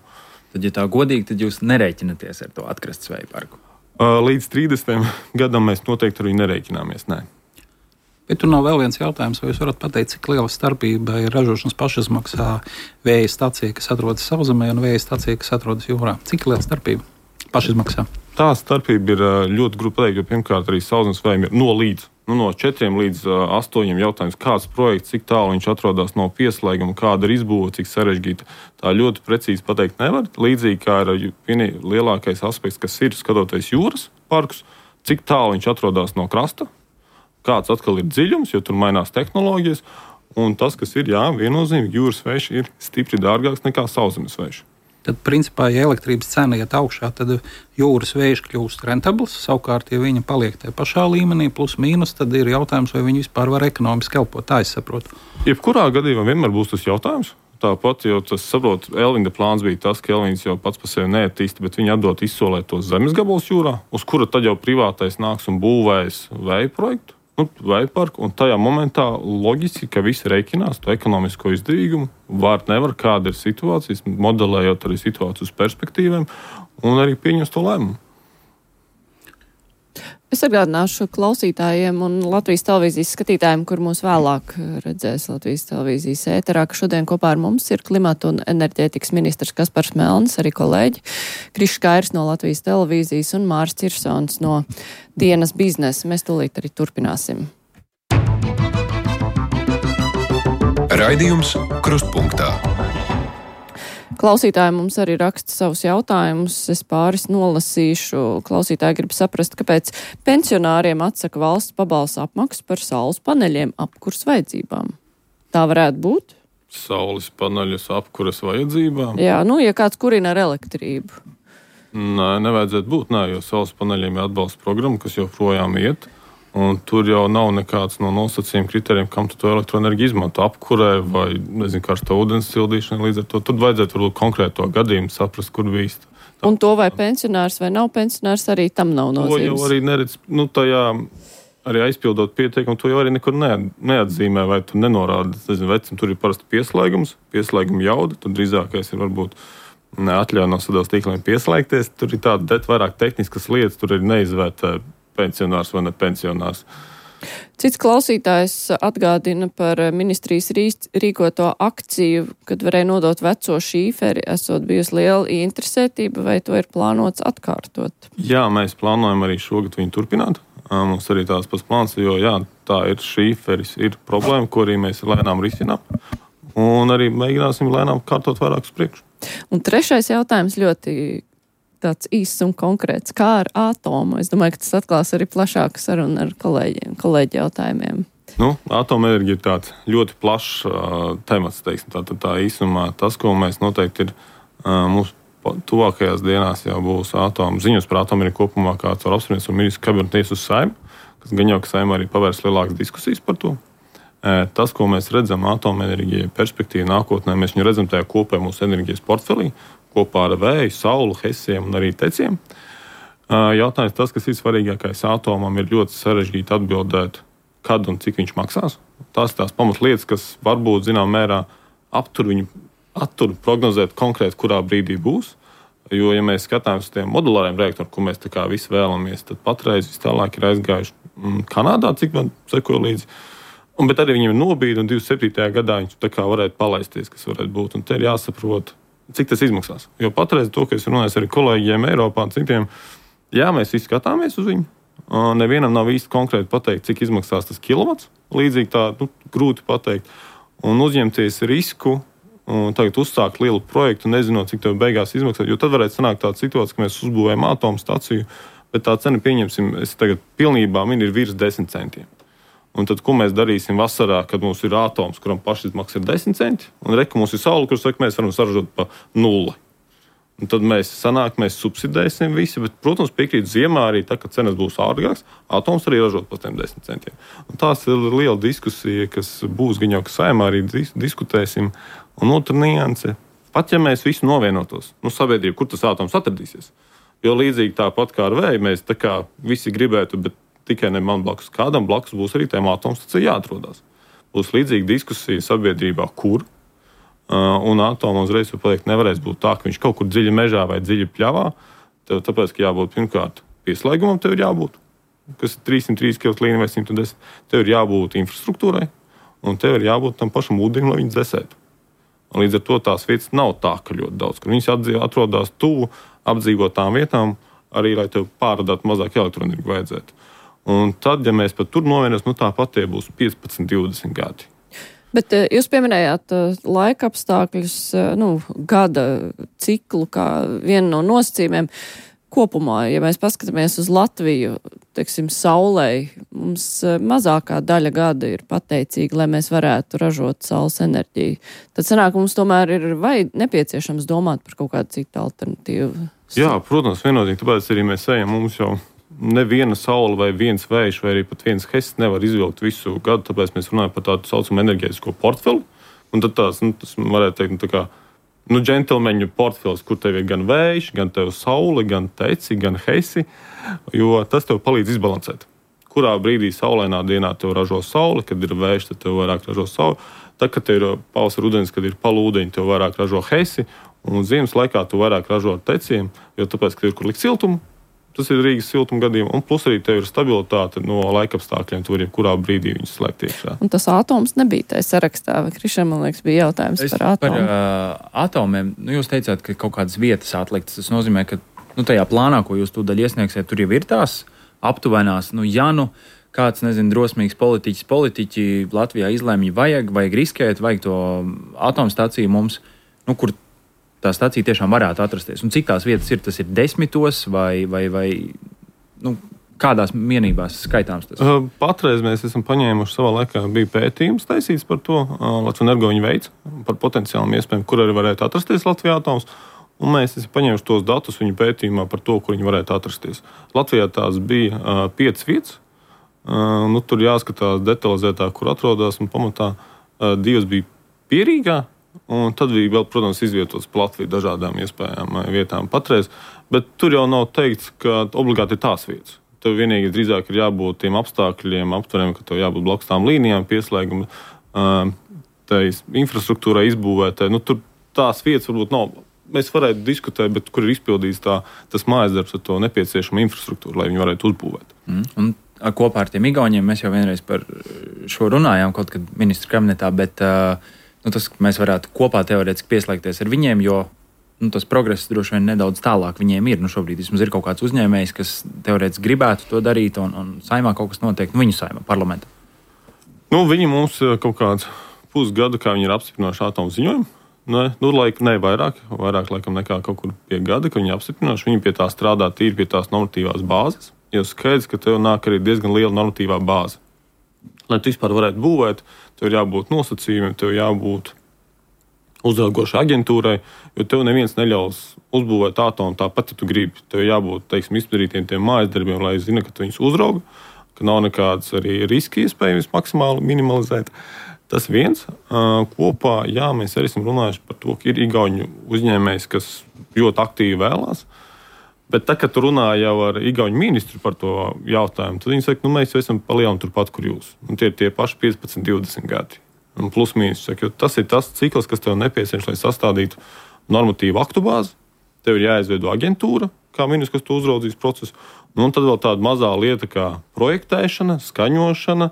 Tad, ja tā godīgi, tad jūs nerēķinaties ar to atkrastes vēja parku? Līdz 30. gadam mēs noteikti ar viņu nerēķināmies, nē. Bet tur nav vēl viens jautājums, vai jūs varat pateikt, cik liela starpība ir ražošanas pašizmaksā vēja stacija, kas atrodas sauszemē, un vēja stacija, kas atrodas jūrā? Cik liela starpība pašizmaksā? Tā starpība ir ļoti grūti pateikt, jo pirmkārt arī sauszemes vējiem ir no līdz. No 4 līdz 8 jautājums, kāds projekts, cik tālu viņš atrodas no pieslēguma, kāda ir izbūve, cik sarežģīta. Tā ļoti precīzi pateikt nevar. Līdzīgi kā ir lielākais aspekts, kas ir skatoties jūras parkus, cik tālu viņš atrodas no krasta, kāds atkal ir dziļums, jo tur mainās tehnoloģijas. Un tas, kas ir, viennozīmīgi, jūras vējš ir stipri dārgāks nekā sauszemes vējš. tad, principā, ja elektrības cena iet augšā, tad jūras vējš kļūst rentabls. Savukārt, ja viņa paliek tajā pašā līmenī, plus mīnus, tad ir jautājums, vai viņi vispār var ekonomiski elpot. Tā es saprotu. Jebkurā gadījumā vienmēr būs tas jautājums. Tāpat, jo tas, saprot, Elvinga plāns bija tas, ka Elvings jau pats par sevi neattīsta, bet viņi atdot izsolēt tos zemes gabalus jūrā, uz kura tad jau privātais nāks un būvēs vēja projektu, vēja parku, un tajā momentā loģiski, ka visi reikinās to ekonomisko izdevīgumu, nevar, kāda ir situācijas, modelējot arī situāciju uz perspektīviem, un arī pieņems to lēmumu. Es atgādināšu klausītājiem un Latvijas televīzijas skatītājiem, kur mūs vēlāk redzēs Latvijas televīzijas ēterā, ka šodien kopā ar mums ir klimata un enerģētikas ministrs Kaspars Melnis, arī kolēģi Krišs Kairs no Latvijas televīzijas un Māris Cirsons no Dienas biznesa. Mēs tūlīt arī turpināsim. Raidījums Krustpunktā. Klausītāji mums arī raksta savus jautājumus. Es pāris nolasīšu. Klausītāji grib saprast, kāpēc pensionāriem atsaka valsts pabalsta apmaksu par saules paneļiem apkurs vajadzībām. Tā varētu būt? Saules paneļus apkuras vajadzībām? Jā, ja kāds kurina ar elektrību. Nē, nevajadzētu būt, jo saules paneļiem ir atbalsta programma, kas joprojām iet. Un tur jau nav nekāds no nosacījuma kritērijiem, kam tu to elektroenerģiju izmanto, apkurē vai, karsta ūdens sildīšana. Līdz ar to tad vajadzētu varbūt konkrēto gadījumu saprast, kur bīst. Un to vai pensionārs vai nav pensionārs, arī tam nav nozīmes. To jau arī neredz, tajā arī aizpildot pieteikumu, to jau arī nekur neatzīmē, vai tu nenorādi, vecim, tur ir parasti pieslēguma jauda, tad drīzākais ir varbūt atļauj no sadales tīkliem pieslēgties. Tur ir tāda vairāk tehniskas lietas, tur ir neizvērtē pensionārs vai ne pensionārs. Cits klausītājs atgādina par ministrijas rīkoto akciju, kad varēja nodot veco šīferi, esot bijusi liela interesētība, vai to ir plānots atkārtot? Jā, mēs plānojam arī šogad viņu turpināt. Mums arī tāds pats plāns, jo tā ir šīferis, ir problēma, ko arī mēs lēnām risinām. Un arī mēģināsim lēnām kārtot vairāk uz priekšu. Un trešais jautājums ļoti tāds īsts un konkrēts, kā ar atomu. Es domāju, ka tas atklās arī plašāku sarunu ar kolēģi jautājumiem. Atomenerģija ir tāds ļoti plašs temats, teiksim. Tā īsumā tas, ko mēs noteikti ir mūsu tuvākajās dienās jau būs atomu. Ziņas par atomenerģiju kopumā kāds var apspriest un ministru kabineta uz Saimu, kas gan jau, ka Saima arī pavērs lielākas diskusijas par to. Tas, ko mēs redzam atomenerģija perspektīva nākotnē, mēs viņu redzam tajā kopējā mūsu enerģijas portfelī, kopā ar vēju, sauli, hesiem un arī teciem. Jautājums tas, kas ir svarīgākais atomam, ir ļoti sarežģīti atbildēt, kad un cik viņš maksās. Tās ir tās pamatlietas, kas varbūt, mērā, attur prognozēt konkrēti, kurā brīdī būs. Jo, ja mēs skatāmies uz tiem modulāriem reaktoriem, ko mēs tā kā visi vēlamies, tad patreiz vis tālāk ir aizgājuši Kanādā, cik man sekoja līdzi. Bet arī viņiem ir nobīde, un 27. gadā viņš tā kā varētu palaisties, kas varētu būt. Un te ir jāsaprot, cik tas izmaksās. Jo patreiz to, ka es runāju ar kolēģiem Eiropā un citiem, mēs visi skatāmies uz viņu. Nevienam nav īsti konkrēti pateikt, cik izmaksās tas kilovats. Līdzīgi tā grūti pateikt. Un uzņemties risku un tagad uzsākt lielu projektu, nezinot, cik tev beigās izmaksās. Jo tad varētu sanākt tāda situācija, ka mēs uzbūvējam atomstaciju, bet tā cena, pieņemsim, es tagad pilnībā ir virs 10 centiem. Un tad, ko mēs darīsim vasarā, kad mums ir atoms, kuram pašizmaksa ir 10 centi, un reka mums ir saule, kur saka, mēs varam saražot pa 0. Un tad mēs subsidēsim visi, bet, protams, piekrīt ziemā arī tā, ka cenas būs ārgāks, atoms arī ražot pa 10 centiem. Un tās ir liela diskusija, kas būs gan jau, ka Saimā arī diskutēsim. Un otra nianse, pat ja mēs visi novienotos, sabiedrība, kur tas atoms atradīsies. Jo līdzīgi tāpat kā ar vēju, mēs tā kā visi gribētu, bet tikai ne man blakus. Kādam blakus būs arī tēmā atomstacija jāatrodās. Būs līdzīga diskusija sabiedrībā, kur. Un atomu uzreiz pateikt nevarēs būt tā, ka viņš kaut kur dziļi mežā vai dziļi pļavā. Tāpēc, ka jābūt pirmkārt pieslēgumam, tev ir jābūt, kas ir 303 kV līnija vai 110. Tev ir jābūt infrastruktūrai, un tev ir jābūt tam pašam ūdenim, lai viņi dzesētu. Un līdz ar to tās vietas nav tā, ka ļoti daudz, kur viņas atrodas tuvu apdzīvotām vietām, arī, lai tev pārādātu mazāk elektroenerģiju vajadzētu. Un tad, ja mēs pat tur novienos, tāpat tie būs 15, 20 gadi. Bet jūs pieminējāt laika apstākļus, gada ciklu kā vienu no nosacījumiem. kopumā, ja mēs paskatāmies uz Latviju, teiksim, saulei, mums mazākā daļa gada ir pateicīga, lai mēs varētu ražot saules enerģiju. Tad sanāk, mums tomēr ir nepieciešams domāt par kaut kādu citu alternatīvu. Jā, protams, vienotīgi, tāpēc arī mēs ejam, mums jau neviena saule vai viens vējš vai arī pat viens hests nevar izvilkt visu gadu, tāpēc mēs runājam par tādu saucamu enerģētisko portfeli. Un tad tas varētu teikt, tā kā džentelmeņu portfels, kur tev ir gan vējš, gan tev saule, gan teci, gan heisi, jo tas tev palīdz izbalansēt. Kurā brīdī saulainā dienā tev ražo saule, kad ir vējš, tad tev vairāk ražo saule. Tad, kad tev ir pavasara ūdens, kad ir palūdeņi, tev vairāk ražo heisi, un ziemas laikā tu vairāk ražo ar teciem, jo tāpēc, ka ir kur likt siltumu, tas ir Rīgas siltuma gadījumā, un plus arī tev ir stabilitāte no laikapstākļiem, tu vari kurā brīdī viņus slēgt iekšā. Un tas atoms nebija tajā sarakstā, vai Krišam, man liekas, bija jautājums par atomu. Par atomiem, jūs teicāt, ka kaut kādas vietas atliktas, tas nozīmē, ka tajā plānā, ko jūs tūdaļ iesniegsiet, tur jau ir tās aptuvenās, kāds, drosmīgs politiķi Latvijā izlēmja, vajag riskēt, vajag to atomstāciju mums, kur tā stacija tiešām varētu atrasties. Un cik tās vietas ir? Tas ir 10 vai kādās vienībās skaitāms tas? Patreiz mēs esam paņēmuši savā laikā, bija pētījums taisīts par to, Latvijas Energo viņa veids, par potenciālām iespējām, kur arī varētu atrasties Latvijā atoms. Un mēs esam paņēmuši tos datus viņu pētījumā par to, kur viņi varētu atrasties. Latvijā tās bija 5 vietas. Tur jāskatās detalizētāk, kur atrodas, un pamatā 2 bija Pierīgā. Un tad bija vēl, protams, izvietots pa Latviju dažādām iespējām vietām patreiz, bet tur jau nav teikts, ka obligāti ir tās vietas. Tev vienīgi drīzāk ir jābūt tiem apstākļiem, aptveriem, ka tev jābūt blakus tām līnijām, pieslēguma, tai infrastruktūrai izbūvētai. Tur tās vietas varbūt nav. Mēs varētu diskutēt, bet kur ir izpildīts tas mājasdarbs ar to nepieciešamo infrastruktūru, lai viņi varētu uzbūvēt. Un kopā ar tiem Igauniem mēs jau vienreiz par šo runājām kaut kad ministru kabinetā, bet tas, ka mēs varētu kopā teorētiski pieslēgties ar viņiem, jo tas progress droši vien nedaudz tālāk viņiem ir. Šobrīd vismaz ir kaut kāds uzņēmējs, kas teorētiski gribētu to darīt, un saimā kaut kas notiek, viņu saimā, parlamentā. Viņi mums kaut kāds pusgadu, kā viņi ir apstiprinājuši atomu ziņojumu. Vairāk laikam nekā kaut kur pie gada, ka viņi apstiprinājuši. Viņi pie tā strādā tīri pie tās normatīvās bāzes, jo skaidrs, ka tev nāk arī diezgan liela normatīvā bāze. Lai tu vispār varētu būvēt, tev ir jābūt nosacījumiem, tev jābūt uzraugošai aģentūrai, jo tev neviens neļaus uzbūvēt atomu tāpat, ja tu gribi. Tev jābūt, izdarītiem tiem mājas darbiem, lai zina, ka tu viņus uzraugi, ka nav nekādas arī riski iespējams maksimāli minimalizēt. Tas viens. Kopā, mēs arī esam runājuši par to, ka ir igauņu uzņēmējs, kas ļoti aktīvi vēlās. Bet tā, kad tu runā jau ar igauņu ministru par to jautājumu, tad viņi saka, mēs jau esam palielināti turpat, kur jūs. Un tie ir tie paši 15, 20 gadi. Un plus mīnus. Tas ir tas cikls, kas tev nepieciešams, lai sastādītu normatīvu aktu bāzi. Tev ir jāizveido aģentūra, kā ministrs, kas tu uzraudzīs procesu. Un tad vēl tāda mazā lieta kā projektēšana, skaņošana,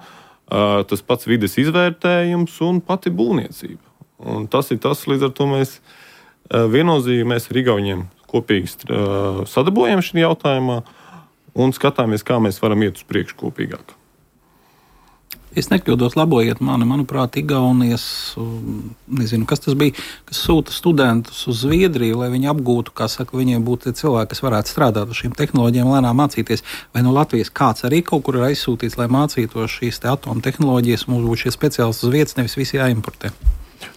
tas pats vides izvērtējums un pati būvniecība. Un tas ir tas, līdz ar to mēs viennozīmīgi mēs ar igauņiem kopīgi sadarbojam šajā jautājumā un skatāmies, kā mēs varam iet uz priekšu kopīgāk. Es nekļūdos, labojiet mani, manuprāt, Igaunijas, nezinu, kas tas bija, kas sūta studentus uz Zviedriju, lai viņi apgūtu, kā saka, viņiem būtu cilvēki, kas varētu strādāt ar šīm tehnoloģijām, lēnām mācīties. Vai no Latvijas kāds arī kaut kur ir aizsūtīts, lai mācītos šīs atomu tehnoloģijas, mums būtu šie speciālisti uz vietas, nevis visi jāimportē?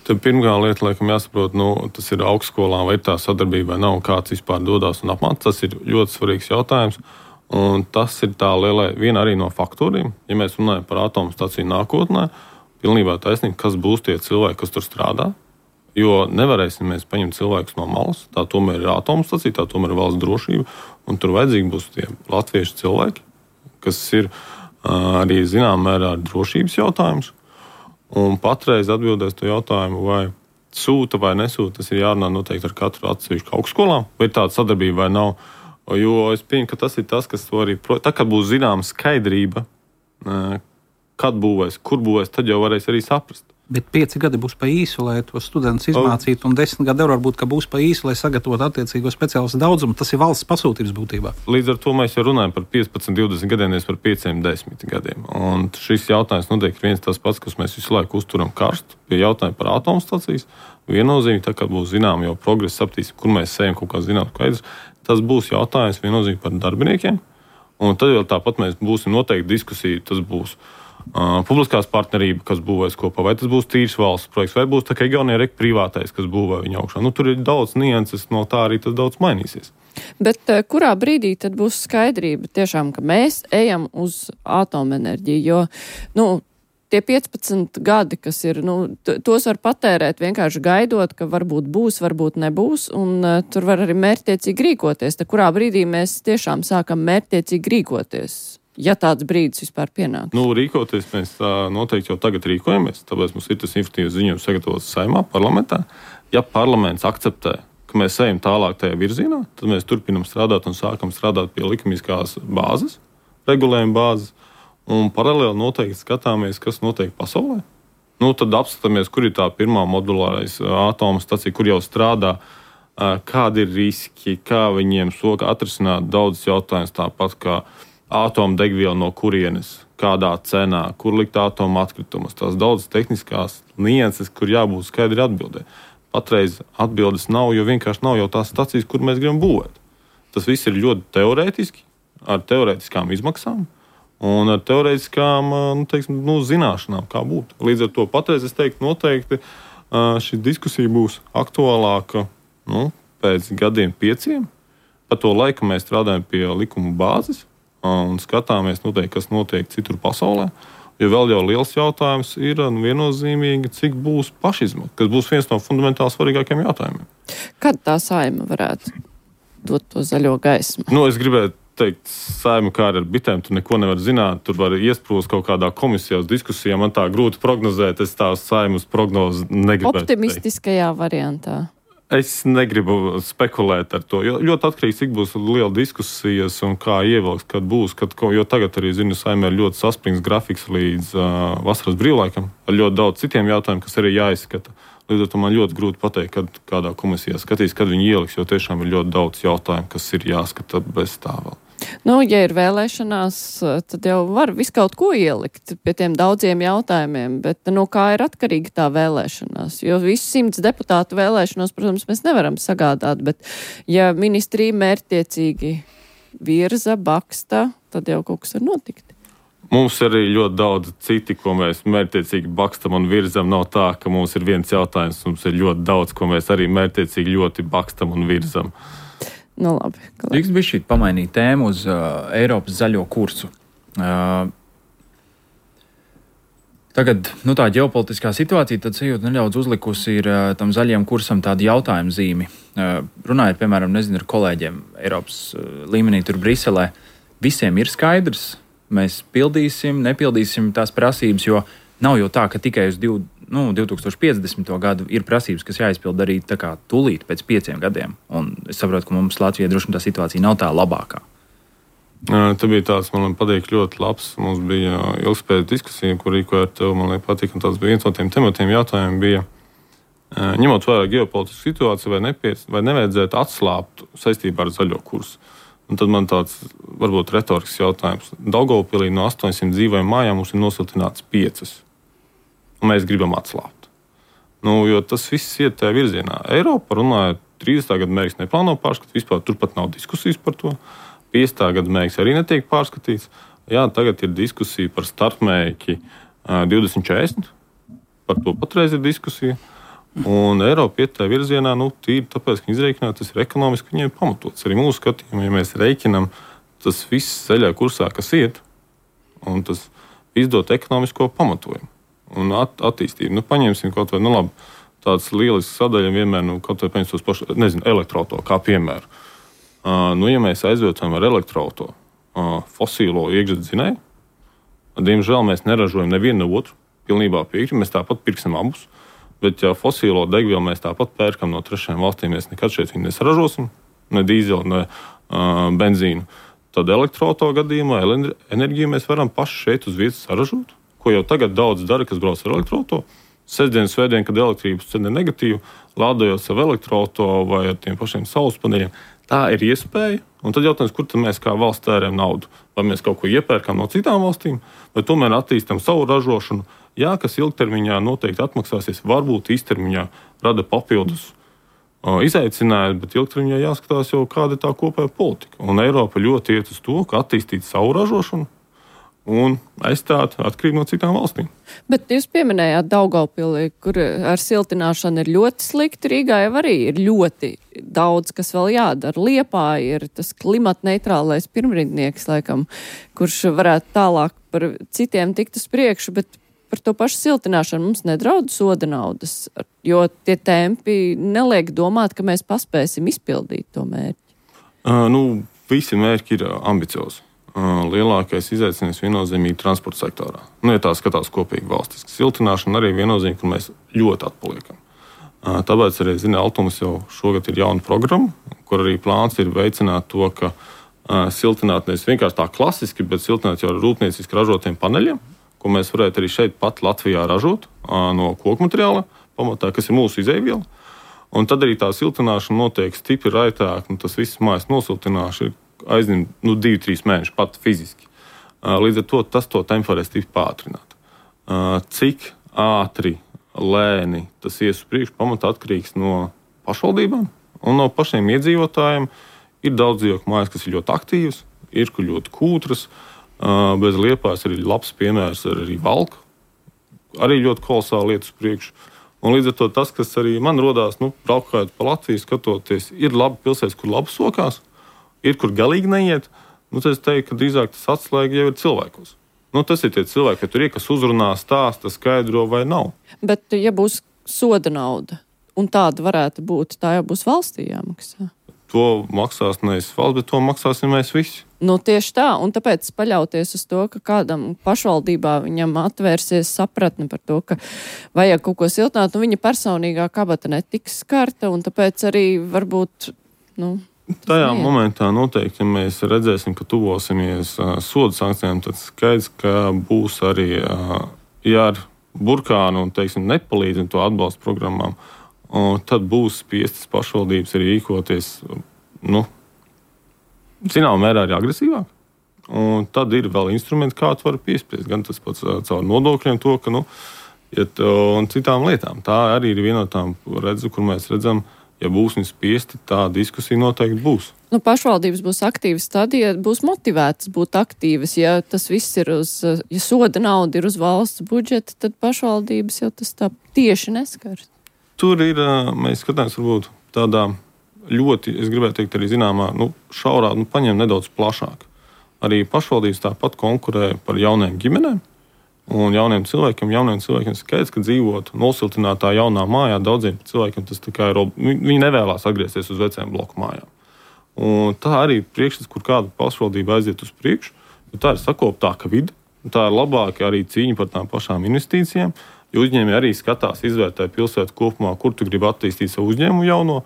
Tad pirmā lieta, laikam, jāsaprot, tas ir augstskolā, vai ir tā sadarbība, vai nav, kāds vispār dodās un apmācās. Tas ir ļoti svarīgs jautājums. Un tas ir tā lielā viena arī no faktoriem. Ja mēs runājam par atomstaciju nākotnē, pilnībā taisnība, kas būs tie cilvēki, kas tur strādā. Jo nevarēsim mēs paņemt cilvēkus no malas. Tā tomēr ir atomstacija, tā tomēr ir valsts drošība. Un tur vajadzīgi būs tie latviešu cilvēki, kas ir arī zināmā mērā drošības jautājums. Un patreiz atbildēs to jautājumu, vai sūta vai nesūta, tas ir jārunā noteikti ar katru atsevišķu augstskolām, vai tāda sadarbība vai nav. Jo es pieņemu, ka tas ir tas, kas to arī... Tā, kad būs zināma skaidrība, kad būvēs, kur būvēs, tad jau varēs arī saprast. Bet 5 gadi būs pa īsu, lai to studentus izmācītu, un 10 gadi varbūt, ka būs pa īsu, lai sagatavotu attiecīgo speciālistu daudzumu. Tas ir valsts pasūtības būtībā. Līdz ar to mēs jau runājam par 15, 20 gadiem, nevis par 5, 10 gadiem. Un šis jautājums noteikti ir viens tas pats, kas mēs visu laiku uzturam karstu pie jautājuma par atomstacijas. Viennozīmīgi, tā kā būs zinām jau progresa, sapratīsim, kur mēs ejam kaut kā zinām skaidrs. tas būs jautājums viennozīmīgi par darbiniekiem. Un tad vēl tāpat mēs būsim noteikti diskusija, tas būs publiskās partnerība, kas būvēs kopā, vai tas būs tīrs valsts projekts, vai būs tā kā Igaunija privātais, kas būvē viņa augšā. Tur ir daudz nianses, no tā arī tas daudz mainīsies. Bet kurā brīdī tad būs skaidrība tiešām, ka mēs ejam uz atomenerģiju, jo, tie 15 gadi, kas ir, tos var patērēt vienkārši gaidot, ka varbūt būs, varbūt nebūs, un tur var arī mērķtiecīgi rīkoties. Tad kurā brīdī mēs tiešām sākam mērķtiecīgi rīkoties? Ja tāds brīdis vispār pienāk. Rīkoties mēs noteikti jau tagad rīkojamies, tāpēc mums ir tas informatīvs ziņojums sagatavots Saeimā, parlamentā. Ja parlaments akceptē, ka mēs ejam tālāk tajā virzienā, tad mēs turpinam strādāt un sākam strādāt pie likumiskās bāzes, regulējuma bāzes, un paralēli noteikti skatāmies, kas notiek pasaulē. Tad apskatāmies, kur ir tā pirmā modulārais atomu stacija, kur jau strādā, kādi ir riski, kā viņiem soka atrisināt daudz jautājumus, tāpat kā atomdegviela no kurienes, kādā cenā, kur likt atomu atkritumus. Tās daudz tehniskās nianses, kur jābūt skaidri atbildē. Patreiz atbildes nav, jo vienkārši nav jau tās stacijas, kur mēs gribam būvēt. Tas viss ir ļoti teorētiski, ar teorētiskām izmaksām un ar teorētiskām zināšanām, kā būt. Līdz ar to patreiz es teiktu, noteikti šī diskusija būs aktuālāka pēc gadiem 5. Pa to laiku mēs strādājam pie likuma bāzes un skatāmies, kas notiek citur pasaulē. Jo vēl jau liels jautājums ir viennozīmīgi, cik būs pašizmaksa, kas būs viens no fundamentāli svarīgākiem jautājumiem. Kad tā Saeima varētu dot to zaļo gaismu? Es gribētu teikt, Saeima kā ar bitēm, tu neko nevar zināt, tur var iesprūst kaut kādā komisijā uz diskusijām, man tā grūti prognozēt, es tā Saeimas prognozi negribētu. Optimistiskajā variantā. Es negribu spekulēt ar to, jo ļoti atkarīgs, cik būs liela diskusijas un kā ievilks, kad būs, jo tagad arī, Saeimā ir ļoti saspringts grafiks līdz vasaras brīvlaikam, ar ļoti daudz citiem jautājumiem, kas arī jāizskata. Līdz ar to man ļoti grūti pateikt, kad kādā komisijā skatīs, kad viņi ieliks, jo tiešām ir ļoti daudz jautājumu, kas ir jāskata bez tā vēl. Ja ir vēlēšanās, tad jau var visu kaut ko ielikt pie tiem daudziem jautājumiem, bet kā ir atkarīga tā vēlēšanās? Jo visu 100 deputātu vēlēšanos, protams, mēs nevaram sagādāt, bet ja ministrija mērķtiecīgi virza, baksta, tad jau kaut kas var notikt. Mums arī ļoti daudz citi, ko mēs mērķtiecīgi bakstam un virzam. Nav tā, ka mums ir viens jautājums, mums ir ļoti daudz, ko mēs arī mērķtiecīgi ļoti bakstam un virzam. Labi. Drīkst bišķīt pamainīt tēmu uz Eiropas zaļo kursu. Tagad tā ģeopolitiskā situācija tad sajūta nedaudz uzlikusi ir tam zaļajam kursam tādu jautājumu zīmi. Runājot, piemēram, ar kolēģiem Eiropas līmenī tur Briselē, visiem ir skaidrs, mēs pildīsim, nepildīsim tās prasības, jo nav jau tā, ka tikai uz 2050. Gadu ir prasības, kas jāizpild arī tā kā tūlīt pēc 5 gadiem. Un es saprotu, ka mums Latvijā droši tā situācija nav tā labākā. Tā bija tāds, man patīk, ļoti labs. Mums bija ilgspējīga diskusija, kur rīkoja ar tevi, man patīk, un tāds bija viens no tiem tematiem jautājumiem bija, ņemot vērā ģeopolitisku situāciju, vai nevajadzētu atslābt saistībā ar zaļo kursu. Un tad man tāds, varbūt retorisks jautājums. Daugavpilī no 800 dzīvojām mājām mums ir nosiltināts 5. Un mēs gribam atslābt. Jo tas viss iet tajā virzienā. Eiropa runāja, 30. gada mērķis neplāno pārskatīt, vispār turpat nav diskusijas par to. 50. gada mērķis arī netiek pārskatīts. Jā, tagad ir diskusija par starpmērķi 2040. Par to patreiz ir diskusija. Un Eiropa iet tajā virzienā, tīri tāpēc, ka izreikināt, tas ir ekonomiski, viņiem pamatots. Arī mūsu skatījumā, ja mēs reikinam, tas viss zaļā kursā, kas iet, un tas izdot ekonomisko pamatojumu un attīstību. Paņemsim kaut vai, labi, tāds lielisks sadaļa vienmēr, kaut vai paņemsim tos pašu, elektroauto kā piemēru. Ja mēs aizvietojam ar elektroauto fosīlo iekšzemes, diemžēl mēs neražojam nevienu ne otru, pilnībā piekrītam, mēs tāpat pirksim abus. Bet, ja fosīlo degvielu mēs tāpat pērkam no trešajām valstīm, mēs nekad šeit viņu nesaražosim, ne dīzeli, ne benzīnu. Tad elektroauto gadījumā enerģiju mēs varam paši šeit uz vietas saražot, ko jau tagad daudz dara, kas brauc ar elektroauto. Sestdien, svētdien, kad elektrības cena ir negatīva, lādējot savu elektroauto vai ar tiem pašiem saules paneļiem. Tā ir iespēja, un tad jautājums, kur tad mēs kā valsts tērējam naudu? Vai mēs kaut ko iepērkam no citām valstīm, vai tomēr attīstam savu ražošanu? Jā, kas ilgtermiņā noteikti atmaksāsies, varbūt īstermiņā rada papildus izaicinājumi, bet ilgtermiņā jāskatās jau, kāda ir tā kopējā politika. Un Eiropa ļoti iet uz to, ka attīstīt savu ražošanu un aizstāt atkarību no citām valstīm. Bet jūs pieminējāt Daugavpili, kur ar siltināšanu ir ļoti slikti. Rīgā jau arī ir ļoti daudz, kas vēl jādara. Liepāja ir tas klimatneitrālais pirmrindnieks, laikam, kurš varētu tālāk par citiem tikt uz priekšu, bet par to pašu siltināšanu mums nedraud soda naudas, jo tie tempi neliek domāt, ka mēs paspēsim izpildīt to mērķi. Visi mērķi ir ambiciozi. Lielākais izaicinājums viennozīmīgi transporta sektorā. Ja tā skatās kopīgi valstiski. Siltināšana arī viennozīmīgi, kur mēs ļoti atpaliekam. Tāpēc arī, Altums jau šogad ir jauna programma, kur arī plāns ir veicināt to, ka siltināt nevis vienkārši tā klasiski, bet siltināt jau ar rūpnieciski ražotiem paneļiem, ko mēs varētu arī šeit pat Latvijā ražot no koku materiāla pamatā, kas ir mūsu izēviela. Un tad arī tā siltināšana notiek stipri raitāk, tas viss mājas nosiltināšana aizņem 2-3 mēneši pat fiziski. Līdz ar to tas to tempu varēs stipri pātrināt. Cik ātri, lēni tas ies uz priekšu, pamatā atkarīgs no pašvaldībām un no pašiem iedzīvotājiem. Ir daudz dzīvokļu mājas, kas ir ļoti aktīvas, ir kur ļoti kūtras. Bez Liepājas arī labs piemērs ar arī Valku. Arī ļoti kolosāli iet uz priekšu. Un līdz ar to tas, kas arī man rodās, braukājot pa Latviju, skatoties, ir labi pilsētas, kur labi sokās, ir, kur galīgi neiet. Tad es teiktu, ka drīzāk tas atslēga jau ir cilvēkos. Tas ir tie cilvēki, ka tur ir, kas uzrunā, stāsta, skaidro vai nav. Bet, ja būs soda nauda, un tāda varētu būt, tā jau būs valstī jāmaksā. To maksās nevis valsts, bet to maksāsim mēs visi. Tieši tā, un tāpēc paļauties uz to, ka kādam pašvaldībā viņam atvērsies sapratne par to, ka vajag kaut ko siltināt, viņa personīgā kabata netiks skarta, un tāpēc arī varbūt, Tajā momentā noteikti, ja mēs redzēsim, ka tuvosimies sodu sankcijām, tad skaidrs, ka būs arī ar burkānu un, nepalīdz to atbalstu programmām, un tad būs spiestas pašvaldības arī rīkoties, zināmā mērā arī agresīvāk. Un tad ir vēl instrumenti, kā tu vari piespiest, gan tas pats caur nodokļiem to, ka, un citām lietām. Tā arī ir viena no tām redzu, kur mēs redzam, ja būs spiesti, tā diskusija noteikti būs. Pašvaldības būs aktīvas tad, ja būs motivētas būt aktīvas. Ja tas viss ir ja soda nauda ir uz valsts budžeta, tad pašvaldības jau tas tā tieši neskars. Tur ir, mēs skatāmies varbūt tādā ļoti, es gribētu teikt, arī zināmā, šaurā, paņem nedaudz plašāk. Arī pašvaldības tāpat konkurē par jauniem ģimenēm. Un jauniem cilvēkiem skaidrs, ka dzīvot nosiltinātā jaunā mājā daudziem cilvēkiem tas tā kā ir, viņi nevēlās atgriezties uz vecajām bloku mājām. Un tā arī ir priekšstats, kur kāda pašvaldība aiziet uz priekšu, jo tā ir sakoptāka vide, un tā ir labāka arī cīņa par tām pašām investīcijām, jo uzņēmēji arī skatās, izvērtē pilsētu kopumā, kur tu gribi attīstīt savu uzņēmumu jauno.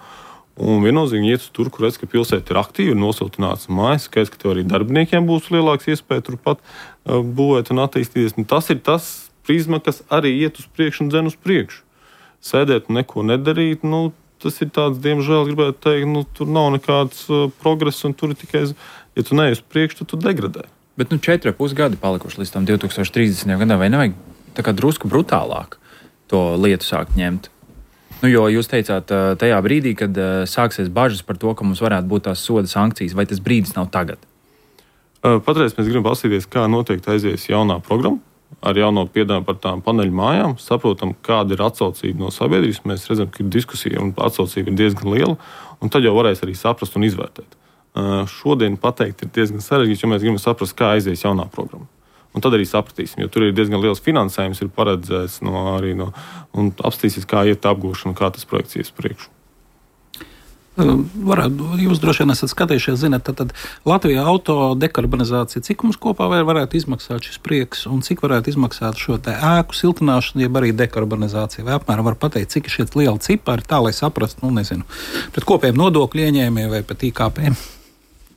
Un viennozīmīgi iet uz tur, kur redz, ka pilsēta ir aktīva, ir nosiltināts mājas, skaidrs, ka tev arī darbiniekiem būs lielāks iespēja turpat būvēt un attīstīties. Un tas ir tas prizma, kas arī iet uz priekšu un dzen uz priekšu. Sēdēt un neko nedarīt, tas ir tāds, diemžēl, gribētu teikt, tur nav nekāds progress un tur ir tikai, ja tu neej uz priekšu, tad tu degradē. Bet 4,5 gadi palikuši līdz tam 2030. gadam, vai nevajag tā kā drusku brutālāk to lietu sākt ņemt? Jo jūs teicāt, tajā brīdī, kad sāksies bažas par to, ka mums varētu būt tās soda sankcijas, vai tas brīdis nav tagad? Patreiz mēs gribam paskatīties, kā noteikti aizies jaunā programma ar jauno piedāvājumu par tām paneļu mājām. Saprotam, kāda ir atsaucība no sabiedrības. Mēs redzam, ka ir diskusija un atsaucība ir diezgan liela, un tad jau varēs arī saprast un izvērtēt. Šodien pateikt ir diezgan sarežģīts, jo mēs gribam saprast, kā aizies jaunā programma. Un tad arī sapratīsim, jo tur ir diezgan liels finansējums, ir paredzēts un apstīsies, kā iet apgūšana, kā tas projekts ies priekšu. Jūs droši vien esat skatījušies, zināt, tad Latvijā auto dekarbonizācija, cik mums kopā varētu izmaksāt šis prieks un cik varētu izmaksāt šo te ēku siltināšanu, jeb arī dekarbonizāciju? Vai apmēram var pateikt, cik ir šie lieli cipari, tā lai saprastu, pret kopējiem nodokļu ieņēmējiem vai pret IKP?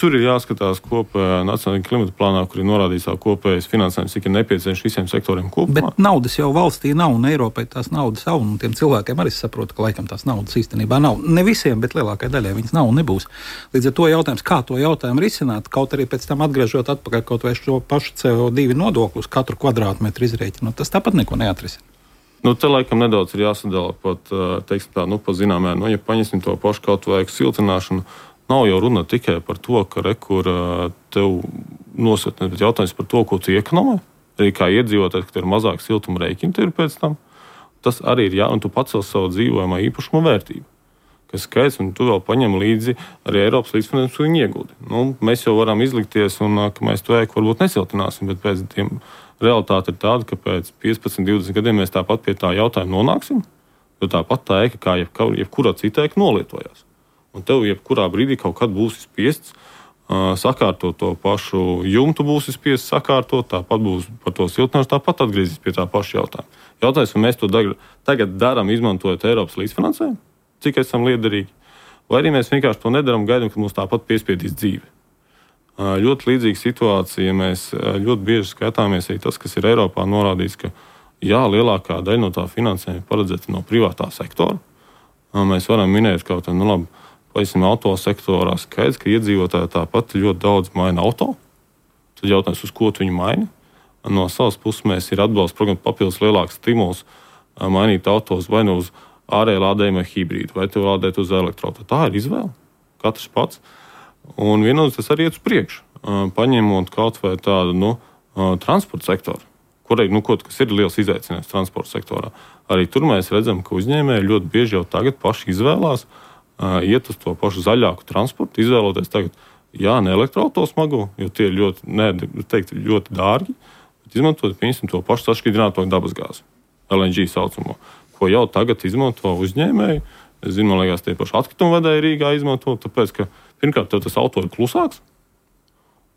Tur ir jāskatās kopējā nacionālajā klimata plānā, kur ir norādīts kopējais finansējums, cik ir nepieciešams visiem sektoriem kopumā. Bet naudas jau valstī nav, un Eiropai tās naudas nav, un tiem cilvēkiem arī saprot, ka laikam tās naudas īstenībā nav. Ne visiem, bet lielākai daļai viņas nav un nebūs. Līdz ar to jautājums, kā to jautājumu risināt, kaut arī pēc tam atgriežot atpakaļ kaut vai šo pašu CO2 nodoklu uz katru kvadrātmetru izrēķinu, tas tāpat neko neatrisina. Te laikam nedaudz ir jāsadala pat, teiksim tā, pa zināmē, ja paņemsim to pašu kaut vai siltināšanu, nav jau runa tikai par to, ka rekur tev nosaka, bet jautājums par to, ko tu iekonomē. Arī kā iedzīvotājs, ka tev ir mazāk siltuma rēķini, ir pēc tam. Tas arī ir un tu pacel savu dzīvojamā īpašuma vērtību. Kas skaidrs, un tu vēl paņem līdzi arī Eiropas līdzfinansējumu un ieguldi. Mēs jau varam izlikties, un ka mēs to ēku varbūt nesiltināsim, bet pēc tiem realitāte ir tāda, ka pēc 15, 20 gadiem mēs tāpat pie tā jautājuma nonāksim, jo tāpat tā ēka, kā jebkura cita ēka, nolietojās. Un tev jebkurā brīdī kaut kad būs spiests sakārtot to pašu jumtu, būs spiests sakārtot, tāpat būs par to siltināšanu, tāpat atgriezīs pie tā paša jautājuma. Jautājums, vai mēs to tagad darām, izmantojot Eiropas līdzfinansējumu, cik esam liederīgi, vai arī mēs vienkārši to nedaram, gaidām, ka mums tāpat piespiedīs dzīve. Ļoti līdzīga situācija, mēs ļoti bieži skatāmies arī tas, kas ir Eiropā norādīts, ka lielākā daļa no tā finansējuma paredzēta no privātā sektora. Mēs varam minēt kaut kā, labi, pavisam autosektorā skaidrs, ka iedzīvotāji tāpat ļoti daudz maina auto. Tad jautājums, uz ko viņi maina. No savas puses mēs ir atbalsta programma papildus lielāks stimuls mainīt autos vai nu uz ārēji lādējumu hibrīdu, vai tev lādēt uz elektroautorātu. Tā ir izvēle. Katrs pats. Un vienotrs tas arī iet uz priekšu. Paņemot kaut vai tādu transporta sektoru, kurai kas ir liels izaicinājums transporta sektorā. Arī tur mēs redzam, ka uzņēmēji ļoti bieži jau tagad paši izvēlās iet uz to pašu zaļāku transportu, izvēloties tagad, ne elektroautomagu, jo tie ir ļoti dārgi, bet izmantot, piemēram, to pašu sašķidrināto dabasgāzi, LNG saucamo, ko jau tagad izmanto uzņēmēji. Es zinu, man liekas, tie paši atkritumu vedēji Rīgā izmanto, tāpēc, ka pirmkārt, tev tas auto ir klusāks,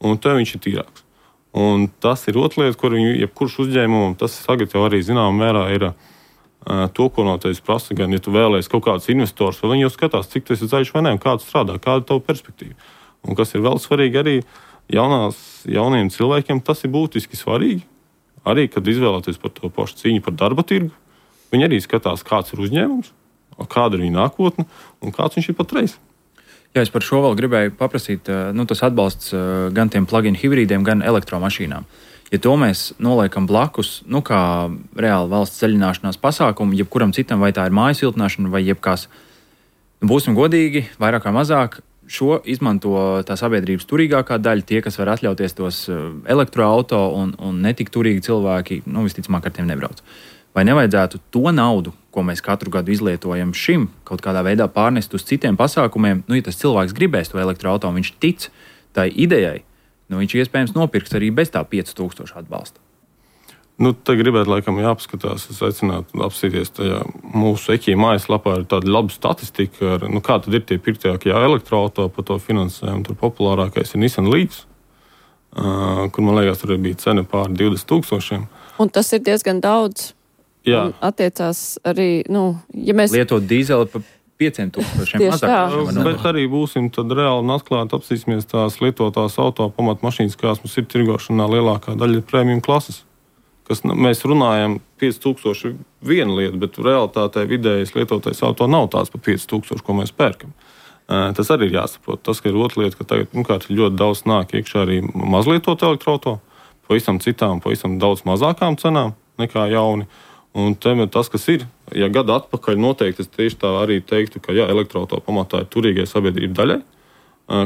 un tev viņš ir tīrāks. Un tas ir otra lieta, kur jebkurš uzņēmumam, tas tagad jau arī zināmā mērā ir to, ko no tevis prasa, gan, ja tu vēlēsi kaut kādus investors, vai viņi jau skatās, cik tas ir zaļš vai ne, un kā tu strādā, kāda ir tava perspektīva. Un kas ir vēl svarīgi arī jauniem cilvēkiem, tas ir būtiski svarīgi. Arī, kad izvēlēties par to pašu cīņu par darba tirgu, viņi arī skatās, kāds ir uzņēmums, kāda ir viņa nākotne un kāds viņš ir patreiz. Jā, es par šo vēl gribēju paprasīt, tas atbalsts gan tiem plug-in hibrīdiem, gan elektromašīnām. Ja to mēs noliekam blakus, kā reāli valsts ceļināšanās pasākumu, jebkuram citam, vai tā ir māju siltināšana, vai jebkās, būsim godīgi, vairāk vai mazāk, šo izmanto tā sabiedrības turīgākā daļa, tie, kas var atļauties tos elektroauto un netik turīgi cilvēki, visticamāk ar tiem nebrauc. Vai nevajadzētu to naudu, ko mēs katru gadu izlietojam šim, kaut kādā veidā pārnest uz citiem pasākumiem, ja tas cilvēks gribēs to elektroauto, viņš tic tai idejai, viņš iespējams nopirks arī bez tā 5000 atbalsta. Te gribētu laikam jāpaskatās, es aicinātu apsīties tajā mūsu EKI mājaslapā ir tāda laba statistika, kā tad ir tie pirktākie elektroauto par to finansējumu. Tur populārākais ir Nissan Leafs, kur, man liekas, tur bija cena pār 20,000. Un tas ir diezgan daudz. Jā. Un attiecās arī, ja mēs... Lietot dīzeli pa 5,000 mazāk. Bet arī būsim tad reāli un atklāti apsīsimies tās lietotās auto pamatmašīnas, kāds mums ir tirgošanā, lielākā daļa ir premium klases. Kas mēs runājam 5,000 viena lieta, bet realitātē vidējais lietotais auto nav tāds pa 5,000, ko mēs pērkam. Tas arī ir jāsaprot. Tas, ka ir otra lieta, ka tagad ļoti daudz nāk iekšā arī mazlietot elektroauto, pavisam citām, pavisam daudz mazākām cenām nekā jauni. Un tas, kas ir, ja gadu atpakaļ noteikti, es tieši tā arī teiktu, ka elektroauto pamatā ir turīgai sabiedrība daļai,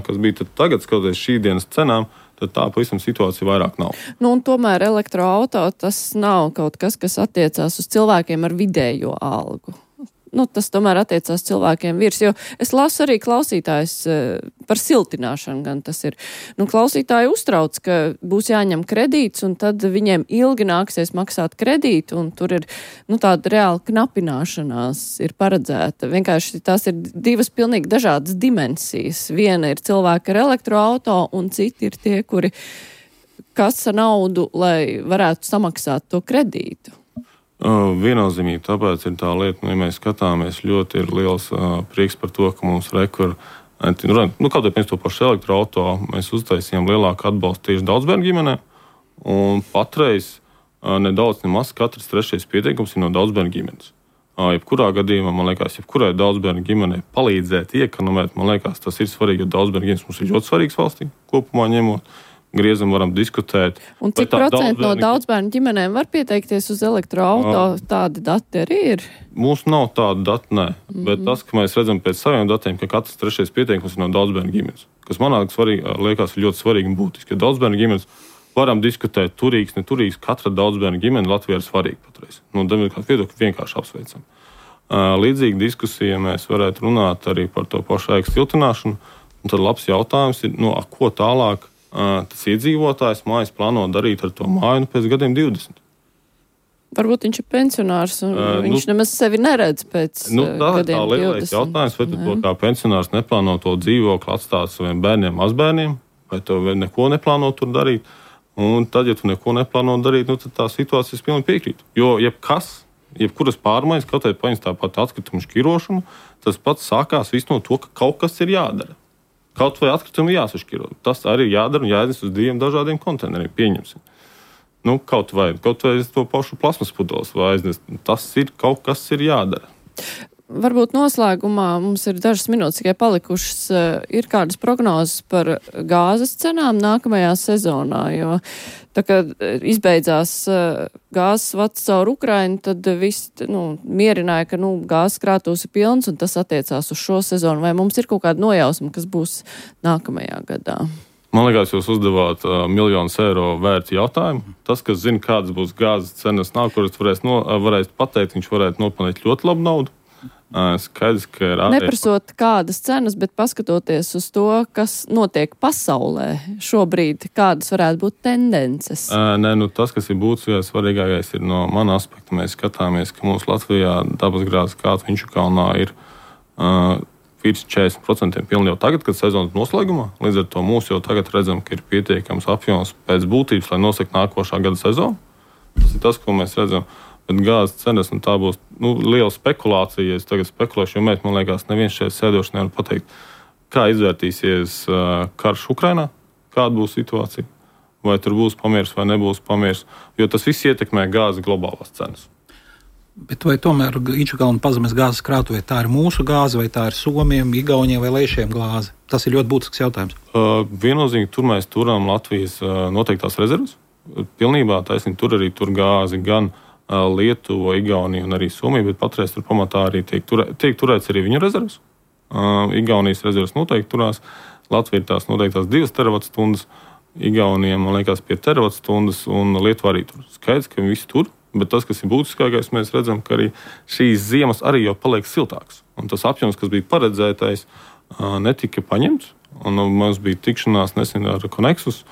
kas bija tagad, skatoties šī dienas cenām, tad tā pavisam situācija vairāk nav. Un tomēr elektroauto tas nav kaut kas, kas attiecās uz cilvēkiem ar vidējo algu. Tas tomēr attiecās cilvēkiem virs, jo es lasu arī klausītājs par siltināšanu, gan tas ir. Klausītāji uztrauc, ka būs jāņem kredīts, un tad viņiem ilgi nāksies maksāt kredītu, un tur ir, tāda reāla knapināšanās ir paredzēta. Vienkārši tās ir divas pilnīgi dažādas dimensijas. Viena ir cilvēki ar elektroauto, un citi ir tie, kuri kasa naudu, lai varētu samaksāt to kredītu. Viennozīmīgi, tāpēc ir tā lieta, ja mēs skatāmies, ļoti ir liels prieks par to, ka mums kaut vai pēc to pašu elektroauto mēs uztaisījām lielāku atbalstu tieši daudzbērnu ģimenē, un patreiz nedaudz nemaz katrs trešais pieteikums ir no daudzbērnu ģimenes. Jebkurā gadījumā, man liekas, jebkurai daudzbērnu ģimenei palīdzēt, iekonomēt, man liekas, tas ir svarīgi, jo daudzbērnu ģimenes mums ir ļoti svarīgs valstī, kopumā ņemot. griezam, varam diskutēt. Un cik procentu no daudzbērnu ģimenēm var pieteikties uz elektroauto? Tādi dati arī ir? Mums nav tādu datu, nē. Bet tas, ka mēs redzam pēc saviem datiem, ka katrs trešais pieteikums ir no daudzbērnu ģimenes, kas manā liekas ir ļoti svarīgi un būtiski. Ja daudzbērnu ģimenes varam diskutēt turīgs, neturīgs, katra daudzbērnu ģimene Latvijā ir svarīga patreiz. No demokrāta viedokļa vienkārši apsveicam. Līdzīgi diskusija mēs varētu runāt arī par to pašu ēku siltināšanu. Un tad labs jautājums ir, ko tālāk tas iedzīvotājs mājas plāno darīt ar to māju pēc gadiem 20. Varbūt viņš ir pensionārs un viņš nemaz sevi neredz pēc gadiem 20. Tā lielais jautājums, vai to kā pensionārs neplāno to dzīvokli atstāt saviem bērniem, mazbērniem, vai to neko neplāno tur darīt. Un tad, ja tu neko neplāno darīt, tad tā situācija es pilnīgi piekrītu. Jo jebkuras pārmaiņas, kaut vai paņems tāpat atkritumu šķirošanu, tas pats sākās viss no to, ka kaut kas ir jādara. Kaut vai atkritumi jāsašķiro. Tas arī ir jādara un jāiznes uz 2 dažādiem konteineriem. Pieņemsim. Kaut vai to pašu plasmas pudeles vai aiznes. Tas ir kaut kas ir jādara. Varbūt noslēgumā mums ir dažas minūtes tikai palikušas. Ir kādas prognozes par gāzes cenām nākamajā sezonā, jo tā kā izbeidzās gāzes vads caur Ukrainu, tad viss mierināja, ka gāzes krātuvs ir pilns un tas attiecās uz šo sezonu. Vai mums ir kaut kāda nojausma, kas būs nākamajā gadā? Man liekas, jūs uzdevāt miljonus eiro vērtu jautājumu. Tas, kas zina, kādas būs gāzes cenas nākotnē, varēs pateikt, viņš varētu nopelnīt ļoti labu naudu. Skaidrs, ka ir neprasot kādas cenas, bet paskatoties uz to, kas notiek pasaulē šobrīd, kādas varētu būt tendences? Tas, kas ir būtiskais, svarīgākais ir no mana aspekta. Mēs skatāmies, ka mums Latvijā dabasgāzes kāds Viņš kalnā ir virs 40% pilni jau tagad, kad sezonas noslēgumā. Līdz ar to mūs jau tagad redzam, ka ir pietiekams apjoms pēc būtības, lai nosaka nākošā gada sezonu. Tas ir tas, ko mēs redzam. Bet gāzes cenas, tā būs liela spekulācija, ja es tagad spekulēšu, jo man liekas, neviens šeit sēdoši nevar pateikt, kā izvērtīsies karš Ukrainā, kāda būs situācija, vai tur būs pamiers vai nebūs pamiers, jo tas viss ietekmē gāzes globālās cenas. Bet vai tomēr Inčukalna pazemes gāzes krātuvē tā ir mūsu gāze, vai tā ir Somiem, Igauniem vai Leišiem gāze? Tas ir ļoti būtisks jautājums. Viennozīmīgi tur mēs turam Latvijas noteiktās rezervas. Pilnībā taisnīgi tur arī tur gāzi gan Lietuva, Igaunija un arī Somija, bet patreiz tur pamatā arī tiek turēts arī viņu rezervas. Igaunijas rezervas noteikti turās. Latvija ir tās noteiktās 2 terawatstundas, Igaunijam, man liekas, 5 terawatstundas un Lietuva arī tur. Skaidrs, ka viņi visi tur, bet tas, kas ir būtiskākais, mēs redzam, ka arī šīs ziemas arī jau paliek siltāks. Un tas apjoms, kas bija paredzētais, netika paņemts. Un mums bija tikšanās nesen ar Konexus,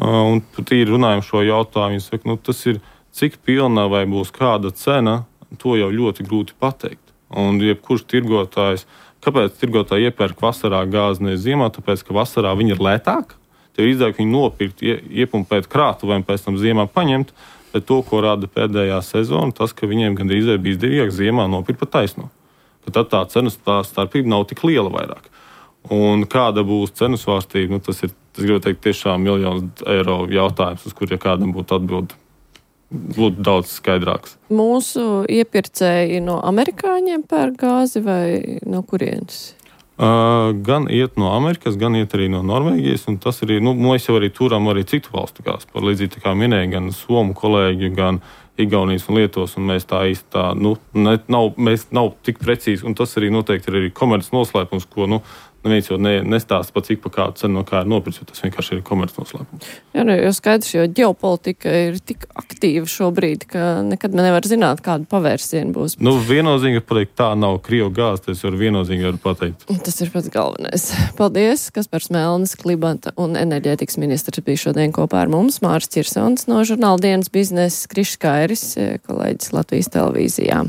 un tīri runājam šo jautājumu. Viņi saka, tas ir cik pilna vai būs kāda cena, to jau ļoti grūti pateikt. Un jebkurš tirgotājs, kāpēc tirgotāji iepērk vasarā gāzi nevis ziemā, tāpēc, ka vasarā viņi ir lētāki. Tev ir izdevīgi viņu nopirkt, iepumpēt krātuvēm, pēc tam ziemā paņemt, bet to, ko rāda pēdējā sezona, tas, ka viņiem gandrīz bija izdevīgāk ziemā nopirkt pa taisno. Ka tad tā cenas starpība nav tik liela vairāk. Un kāda būs cenu svārstība, tas gribu teikt, tiešām miljonus eiro jautājums, uz kur, ja kādam būtu atbildi, būtu daudz skaidrāks. Mūsu iepirkēji no amerikāņiem pērk gāzi vai no kurienes? Gan iet no Amerikas, gan iet arī no Norvēģijas, un tas arī, mēs jau arī turam arī citu valstu gāzi, par līdzīgi tā kā minēja, gan Somu kolēģi, gan Igaunijas un Lietuvas, un mēs tā īsti mēs nav tik precīzi, un tas arī noteikti ir arī komerces noslēpums, ko, neviens jau nestāsta pa cik pa kādu cenu no kā ir nopirts, jo tas vienkārši ir komerces noslēpums. Jā, jo skaidrs, jo ģeopolitika ir tik aktīva šobrīd, ka nekad nevar zināt, kādu pavērsienu būs. Viennozīmīgi pateikt, tā nav Krievu gāze, tas var viennozīmīgi var pateikt. Tas ir pats galvenais. Paldies, Kaspars Melnis, klimata un enerģētikas ministrs bija šodien kopā ar mums, Māris Čirsons no žurnāla Dienas biznesa, Krišs Kairis, kolēģis Latvijas televīzijā.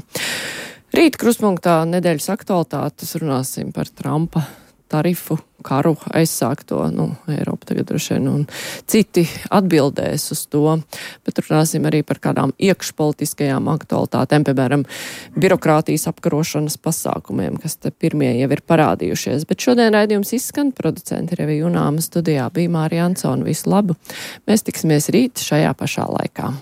Rīt krustpunktā nedēļas aktualitātes runāsim par Trumpa tarifu karu aizsākto, Eiropa tagad droši vien, un citi atbildēs uz to, bet runāsim arī par kādām iekšpolitiskajām aktualitātēm, piemēram, birokrātijas apkarošanas pasākumiem, kas te pirmie jau ir parādījušies. Bet šodien raidījums izskan, producenti Revija Junāma, studijā bija Mārija Ansona. Visu labu! Mēs tiksimies rīt šajā pašā laikā.